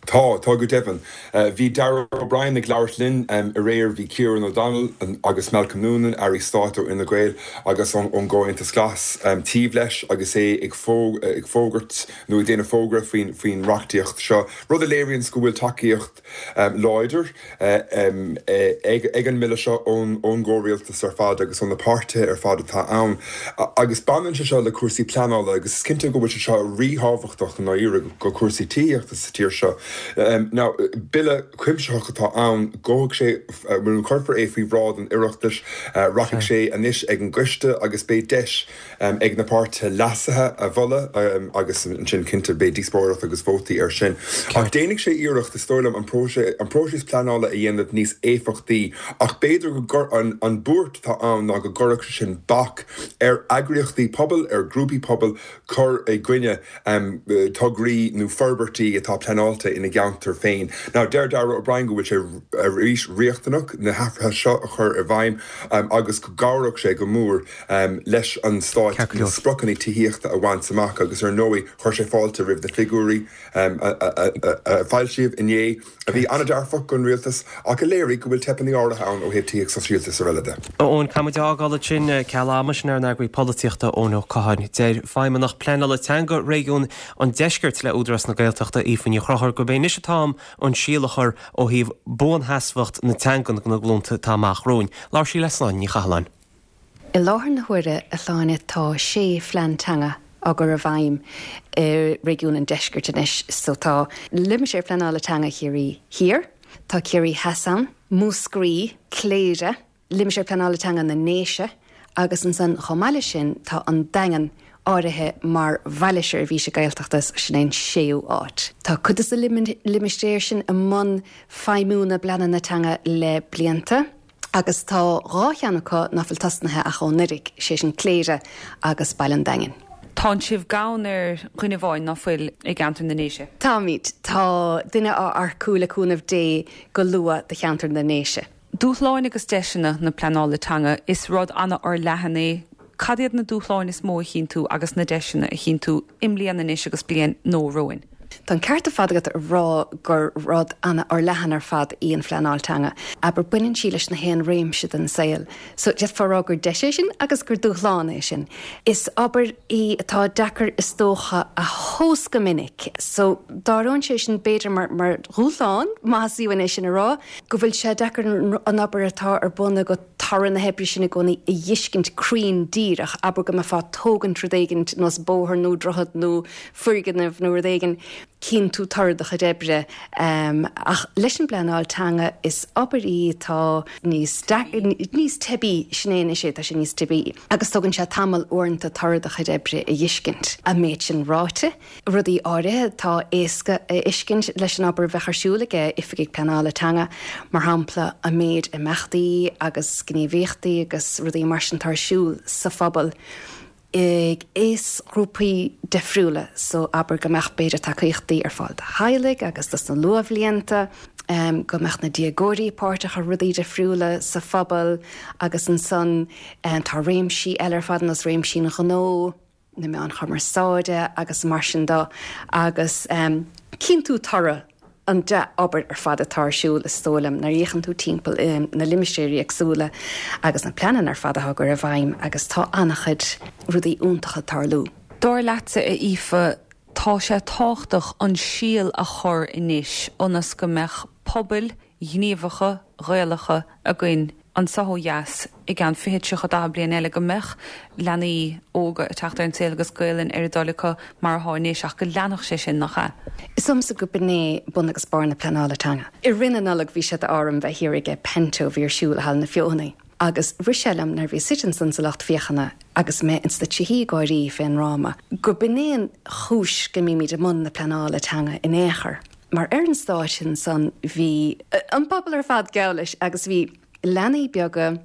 Tá, tá go deimhin. Bhí Darragh O'Brien ag labhairt linn aréir, bhí Kieran O'Donnell agus Malcolm Noonan, Airí Stáit ó Fhine Gael agus ón gComhaontas Glas, taobh leis agus é ag fógairt nó ag déanamh fógra faoin reachtaíocht seo, rud a léiríonns go bhfuil tacaíocht láidir ag an mBille seo ón gcomhrialtas ar fad agus ó na páirtithe ar fad atá ann. Agus baineann sé seo le cúrsaí pleanála agus is cinnte go bhfuil sé seo ríthábhachtach i ndáiríre go cúrsaí tithíochta sa tír seo. Now, Bille cuimsitheach atá ann, gabhfaidh sé, nó cuirfear é faoi bhráid an Oireachtais, rachaidh sé anois ag an gcoiste agus beidh deis ag na páirtithe leasuithe a mholadh agus ansin cinnte beidh díospóireacht agus vótaí air sin. Ach déanfaidh sé iarracht, is dóigh liom, an próiseas pleanála a dhéanamh níos éifeachtaí ach b'fhéidir go an buairt atá ann ná go gcuirfeadh sé sin bac ar eagraíochtaí pobail, ar ghrúpaí pobail cur i gcoinne tograí nó forbairtí atá pleanáilte ina gceantar féin. Now deir Darragh O'Brien go bhfuil sé arís riachtanach na hathruithe seo a chur i bhfeidhm agus go gcabhródh sé go mór leis an Stát na spriocanna tithíochta a bhaint amach agus ar ndóigh chuir sé fáilte roimh na figiúirí a foilsíodh inné a bhí an-dearfach don rialtas ach a léirigh go bhfuil teipeanna áirithe ann ó thaobh tithíocht sóisialta is araile de. Eoin, caithfidh muid a fhágáil ansin, ceal ama, sin ár n-eagraí polaitíochta Eoin Ó Catháin. Deir Feidhmeannach Pleanála Teanga Réigiún an Deiscirt le Údarás na Gaeltachta, Aoife Ní Chonchúir, gurb é anois an t-am an síol a chur ó thaobh buansheasmhacht na teangan do na glúnta atá amach romhainn. Labhair sí le Sláine Ní Chathalláin. I láthair na huaire, a Shláine, tá sé phlean teanga á gcur i bhfeidhm i réigiún an Deiscirt anois. So tá Limistéar Pleanála Teanga Chiarraí Thiar, tá Ciarraí Theas ann, Múscraí, Cléire, Limistéar Pleanála Teanga na nDéise agus ansan chomh maith leis sin tá an Daingean áirithe mar Bhaile Seirbhíse Gaeltachta, sin é an séú áit. Tá cuid de na limistéir sin i mbun feidhmiú na bpleananna teanga le blianta. Agus tá dhá cheann acu ná fuil tosnaithe ach ó anuraidh, sé sin Cléire agus Baile an Daingin. Tánn sibh gann ar dhuine amháin ná fuil i gceantar na nDéise? Táimid. Tá duine á earcú le cúnamh Dé go luath do cheantar na nDéise. Dúshláin agus deiseanna na pleanála teanga, is rud an-fhorleathan é. Cad iad na dúshláin is mó a chíonn tú agus na deiseanna a chíonn tú i mbliana anois agus bliain nua romhainn? Tá an ceart ar fad agat a rá gur rud an-fhorleathan ar fad í an phleanáil teanga. Abair, baineann sí leis na haon réimse den saol. So, d'fhéadfá a rá gur deis é sin agus gur dúshlán é sin. Is obair í atá deacair is dócha a thomhas go minic. So, d'áireoinn sé sin b'fhéidir mar, mar dhúshlán, más uainn é sin a rá, go bhfuil sé deacair an obair atá ar bun agat, toradh na hoibre sin i gcónaí a dh'fheiscint cruinn díreach, abair go mbeifeá ag tógaint rud éigin nós bóthar nó droichead nó foirgneamh nó rud éigin, cíonn tú toradh do chuid oibre. Ach leis an bpleanáil teanga, is obair í atá níos, níos teibí, sin é anois é, tá sé níos teibí agus tógann sé tamall uaireanta toradh do chuid oibre a dh'fheiscint. An méid sin ráite, Rudaí áirithe atá éasca a fheiscint leis an obair a bheadh ar siúl ag oifigigh pleanála teanga, mar shampla an méid imeachtaí agus gníomhaíochtaí agus rudaí mar sin atá ar siúl sa phobal ag aoisghrúpaí difriúla, so abair go mbeadh b'fhéidir tacaíochtaí ar fáil do theaghlaigh agus dos na luathbhlianta, go mbeadh na déagóirí páirteach i rudaí difriúla sa phobal agus ansan tá réimsí eile ar fad ar nós réimsí an ghnó. na meáin chumarsáide agus mar sin de agus cíonn tú toradh an dea-obair ar fad atá ar siúl is dóigh liom nuair a fhéachann tú timpeall i na limistéirí éagsúla agus na pleananna ar fad atá á gcur i bhfeidhm agus tá an-chuid rudaí iontacha ag tarlú. Dar leatsa, a Aoife, tá sé tábhachtach an síol a chur anois ionas go mbeadh pobail ghníomhacha Ghaelacha againn. anseo ó dheas i gceann 20, 30, 40 bliain eile, go mbeadh leanaí óga ag teacht ar an saol agus Gaelainn ar a dtoil acu mar atá anois ach go leanfadh sé sin, nach ea? Is dóigh liomsa go b'in é bun agus barr na pleanála teanga. I rith na Nollag bhí sé d'ádh orm bheith thiar ag panto a bhí ar siúl i Halla na Feothanaí agus rith sé liom nuair a bhíos suite ansan sa lucht féachana agus mé ins na trithí ag gáirí fén ndráma go b'in é an chúis go mbímid i mbun na pleanála teanga in aon chor mar ar an stáitse ansan bhí an pobal ar fad geall leis agus bhí leanaí beaga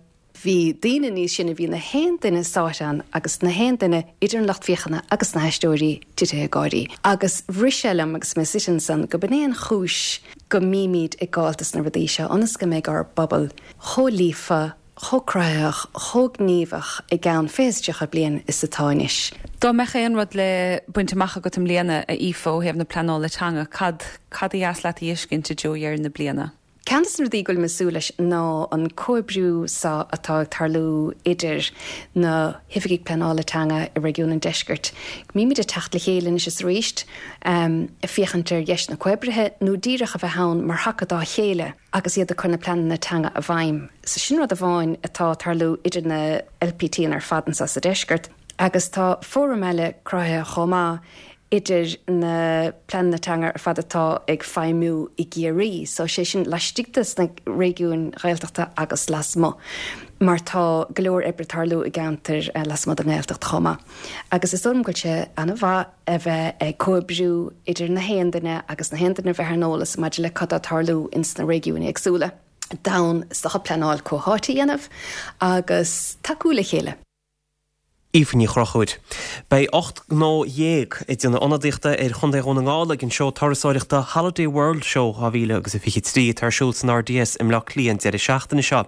Bhí daoine níos sine, bhí na haon duine sáite ann agus na haon duine idir an lucht féachana agus na haisteoirí titithe ag gáirí. Agus rith sé liom agus mé suite ansan go b'in é an chúis go mbímid ag gabháilt dos na rudaí seo, ionas go mbeidh ár bpobal chomh líofa, chomh cruthaitheach, chomh gníomhach i gceann 20 is 30 bliain is atá anois. Dá mbeadh aon rud le baint amach agat i mbliana, a Aoife, ó thaobh na pleanála teanga, cad, cad ba dheas leat a fheiscint i dtreo dheireadh na bliana? Ceann de na rudaí go bhfuilim ag súil leis ná an comhoibriú so atá ag tarlú idir na hoifigigh pleanála teanga i réigiún an Deiscirt. Go mbímid ag teacht le chéile anois is arís, ag féachaint ar dheiseanna comhoibrithe nó díreach a bheith ann mar thaca dá chéile agus iad ag cur na pleananna teanga i bhfeidhm. So sin rud amháin atá ag tarlú idir na LPTanna ar fad anseo sa Deisceart. Agus tá fóram eile cruthaithe chomh maith idir na pleananna teanga ar fad atá ag feidhmiú i gCiarraí, so sé sin laistigh de sna réigiúin Ghaeltachta agus lasmuigh, mar tá go leor oibre ag tarlú i gceantair lasmuigh den nGaeltacht chomh maith. Agus is dóigh liom go bhfuil sé an-mhaith a bheith ag comhoibriú idir na haon duine agus na haon duine a bheith ar an eolas maidir le cad tá ag tarlú ins na réigiúin éagsúla d'fhonn is dócha pleanáil comhtháite a dhéanamh agus tacú le chéile. Aoife Ní Chonchúir. Beidh 18 ngnó ag déanamh ionadaíochta ar Chontae Dhún na nGall ag an seó turasóireachta Holiday World Show 2023 atá ar siúl san RDS i mBleá Cliath an deireadh seachtaine seo.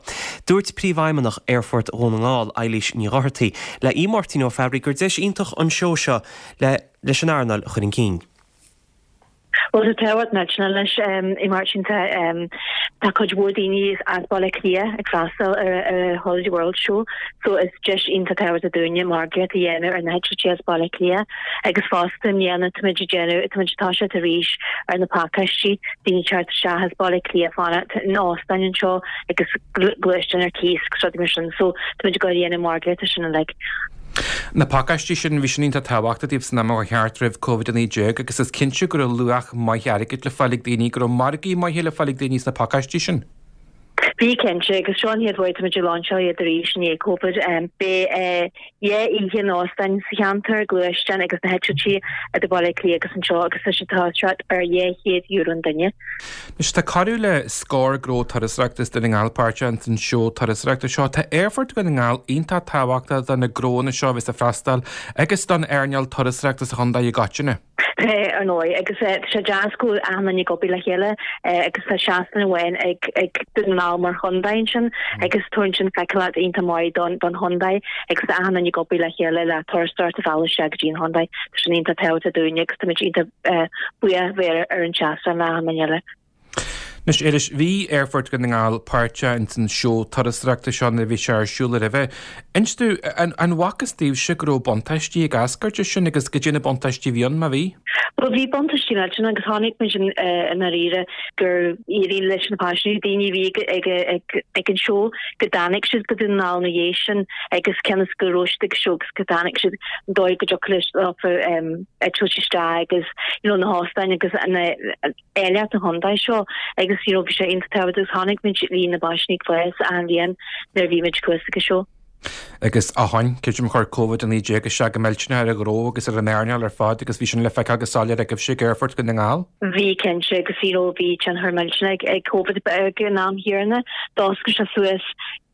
Dúirt Príomhfheidhmeannach Aerfort Dhún na nGall, Eilís Ní Dhochartaigh, le Aodh Máirtín Ó Fearraigh gur deis iontach an seó seo le leis an earnáil a chur chun cinn. Bhuel, tá tábhacht millteanach leis a Mháirtín. Tá tá cuid mhór daoine as Baile Átha Cliath ag freastal ar ar Holiday World Show so is deis iontach tábhachtach dúinne margaíocht a dhéanamh ar na heitiltí as Baile Átha Cliath agus fosta i mbliana táimid ag déanamh táimid ag toiseacht arís ar na pacáistí daoine teacht isteach as Baile Átha Cliath fanacht in óstáin anseo agus gluaisteáin ar cíos agus rudaí mar sin so táimid ag dul a dhéanamh margaíocht ar sin uilig. Na pacáistí sin, bhí sin iontach tábhachtach daoibh san am a chuaigh thart roimh Covid-19 agus is cinnte go raibh luach maith airgid le fáil ag daoine, go raibh margaí maithe le fáil ag daoine sna pacáistí sin. Bhí cinnte, agus seo an chéad uair táimid ag lainseáil iad arís i ndiaidh Covid. Beidh dhá oíche in óstáin sa cheantar, gluaisteáin agus na heitiltí idir Baile Átha Cliath agus anseo agus tá sé ag toiseacht ar €200 an duine. Anois, tá corradh le scór gnó turasóireachta as Dún na nGall páirteach ins an seó turasóireachta seo. Tá Aerfort Dhún na nGall iontach tábhachtach do na gnóanna seo a bheas ag freastal agus don earnáil turasóireachta sa chontae i gcoitinne. Tá, ar ndóigh, agus tá sé deas go bhfuil achan duine ag obair le chéile agus tá seastán amháin ag ag Dún na nGall mar chontae ansin agus tabharann sin feiceálacht iontach maith don don chontae agus tá achan duine ag obair le chéile le turasóireacht a mhealladh isteach go dtí an chontae. Tá sin iontach tábhachtach dúinne agus táimid iontach buíoch bheith ar an seastán le achan duine eile. Anois, Éilis, bhí Aerfort Dhún na nGall páirteach ins an seó turasóireachta seo nuair a bhí sé ar siúl roimhe. Inis domh, an bhfacthas daoibhse go raibh buntáistí ag eascairt as sin agus goidé na buntáistí a bhí ann, má bhí? Bhuel, bhí buntáistí millteanach agus chonaic muid i ndáiríre gur éirigh leis na paisinéirí, daoine a bhí ag ag ag an seó, go dtáinig siad go Dún na nGall ina dhiaidh sin agus cionn is go raibh siad ag an seó agus go dtáinig siad an dóigh go dtiocfadh leofa eitilt isteach agus you know na hóstáin agus an áilleacht an chontae seo agus you know bhí sé iontach tábhachtach agus chonaic muid líon na bpaisinéirí ag fás achan bhliain nuair a bhí muid thuas ag an seó. Agus ó shin, creidim chuir Covid-19 isteach go millteanach ar an ghnó agus ar an earnáil ar fad agus bhí sin le feiceáil go soiléir agaibhse ag Aerfort Dhún na nGall. Bhí cinnte agus you know bhí tionchar millteanach ag Covid ag an am chéanna. D'oscail sé suas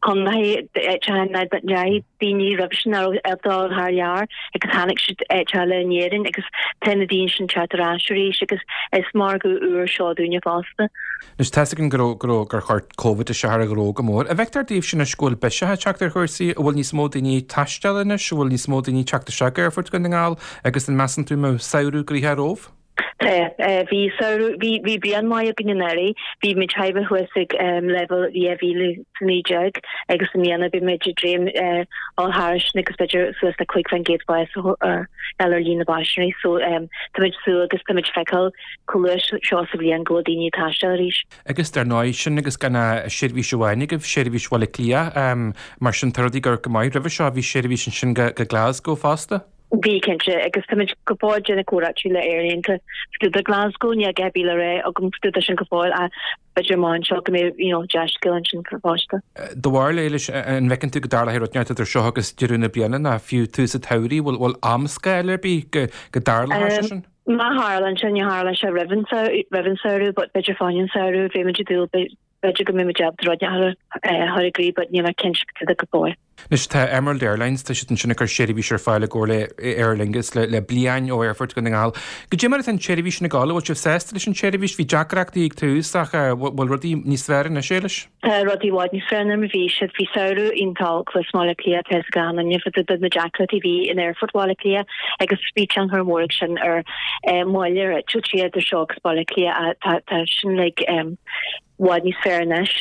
contaetha ndeachaigh daoine roimhe sin nach raibh ag dul thar lear agus tháinig siad áit eile in Éirinn agus tá na daoine sin teacht ar ais arís agus is margadh úr seo dúinne fosta. Anois tá's againn go raibh, go raibh, gur chuir Covid isteach ar an ghnó go mór. An bhfeictear daoibhse anois go bhfuil biseach ag teacht ar chúrsaí, an bhfuil níos mó daoine ag taisteal anois, an bhfuil níos mó daoine ag teacht isteach go Aerfort Dhún na nGall agus an measann tú go mbeidh samhradh gnoitheach romhaibh? Tá. Bhí samhradh, bhí, bhí bliain maith againn anuraidh. Bhí muid thar a bheith thuas ag leibhéal 2019 agus i mbliana beidh muid ag dréim dul thairis sin agus b'fhéidir suas le 5% fás a fháil ar líon na bpaisinéirí. So tá muid ag súil agus tá muid ag feiceáil chomh luath seo sa bhliain go bhfuil daoine ag taisteal arís. Agus dar ndóigh, sin agus gan ach seirbhís amháin agaibh, seirbhís Bhaile Átha Cliath, mar sin tá rudaí ag amharc go maith. Roimhe seo bhí seirbhís ansin go Glasgow fosta. Bhí, cinnte, agus táimid go fóill ag déanamh comhráití le aerlínte do Glasgow, níl a dhath ar bith le rá agam fá dtaobh de sin go fóill ach b'fhéidir amach anseo go mbeidh you know dea-scéal ansin fosta. Do bharúil, Éilis, an bhfeiceann tú go dtarlóidh rud inteacht idir seo agus deireadh na bliana nó fiú tús an tsamhraidh, bhfuil bhfuil amscála ar bith go go dtarlóidh sé sin? Má tharlaíonn sé, ní tharlóidh sé roimh an roimh an samhradh but b'fhéidir fá choinne an samhradh, bheidh muid ag dúil B'fhéidir go mbeidh muid ábalta rud a chur i gcrích but níl mé cinnte de go fóill. Anois tá Emerald Airlines, tá siad ansin ag cur seirbhís ar fáil i gcomhar le Aer Lingus le bliain ó Aerfort Dhún na nGall. Goidé mar atá an tseirbhís sin ag dul, an bhfuil sibh sásta leis an tseirbhís? Bhí deacrachtaí ag tús ach bhfuil rudaí níos fearr anois, Éilis? Tá rudaí i bhfad níos fearr ná mar bhí siad. Bhí samhradh iontach olc thuas i mBaile Átha Cliath, tá a fhios ag achan duine fá dtaobh de na deacrachtaí a bhí in Aerfort Bhaile Átha Cliath agus bhí tionchar mór ag sin ar moill ar eitiltí idir seo agus Baile Átha Cliath. Tá sin like i bhfad níos fearr anois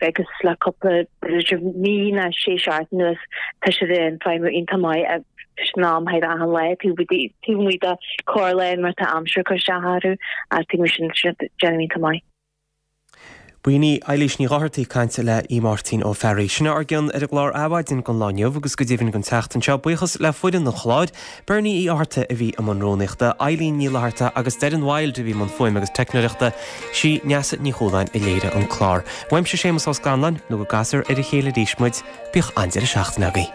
agus le cúpla b'fhéidir mí nó sé seachtain anuas tá siad ag feidhmiú iontach maith in am thar achan lá taobh amuigh de corrlá nuair atá aimsir ag cur isteach orthu ach taobh amuigh sin tá siad ag déanamh iontach maith. B'in í Eilís Ní Dhochartaigh ag caint le Aodh Máirtín Ó Fearraigh. Sin ár gcion ar an gclár Adhmhaidin don lá inniu agus go deimhin don tseachtain seo. Buíochas le foireann an chláir, Bernie Uí Fhátharta a bhí i mbun rúnaíochta, Eileen Ní Fhlatharta agus Doireann Wilde a bhí i mbun fuaime agus teicneoireachta, sí Neasa Ní Chualáin a léirigh an clár. Uaimse Séamus Ó Scanláin, nó go gcasfar ar a chéile arís muid, bíodh an-deireadh seachtaine agaibh.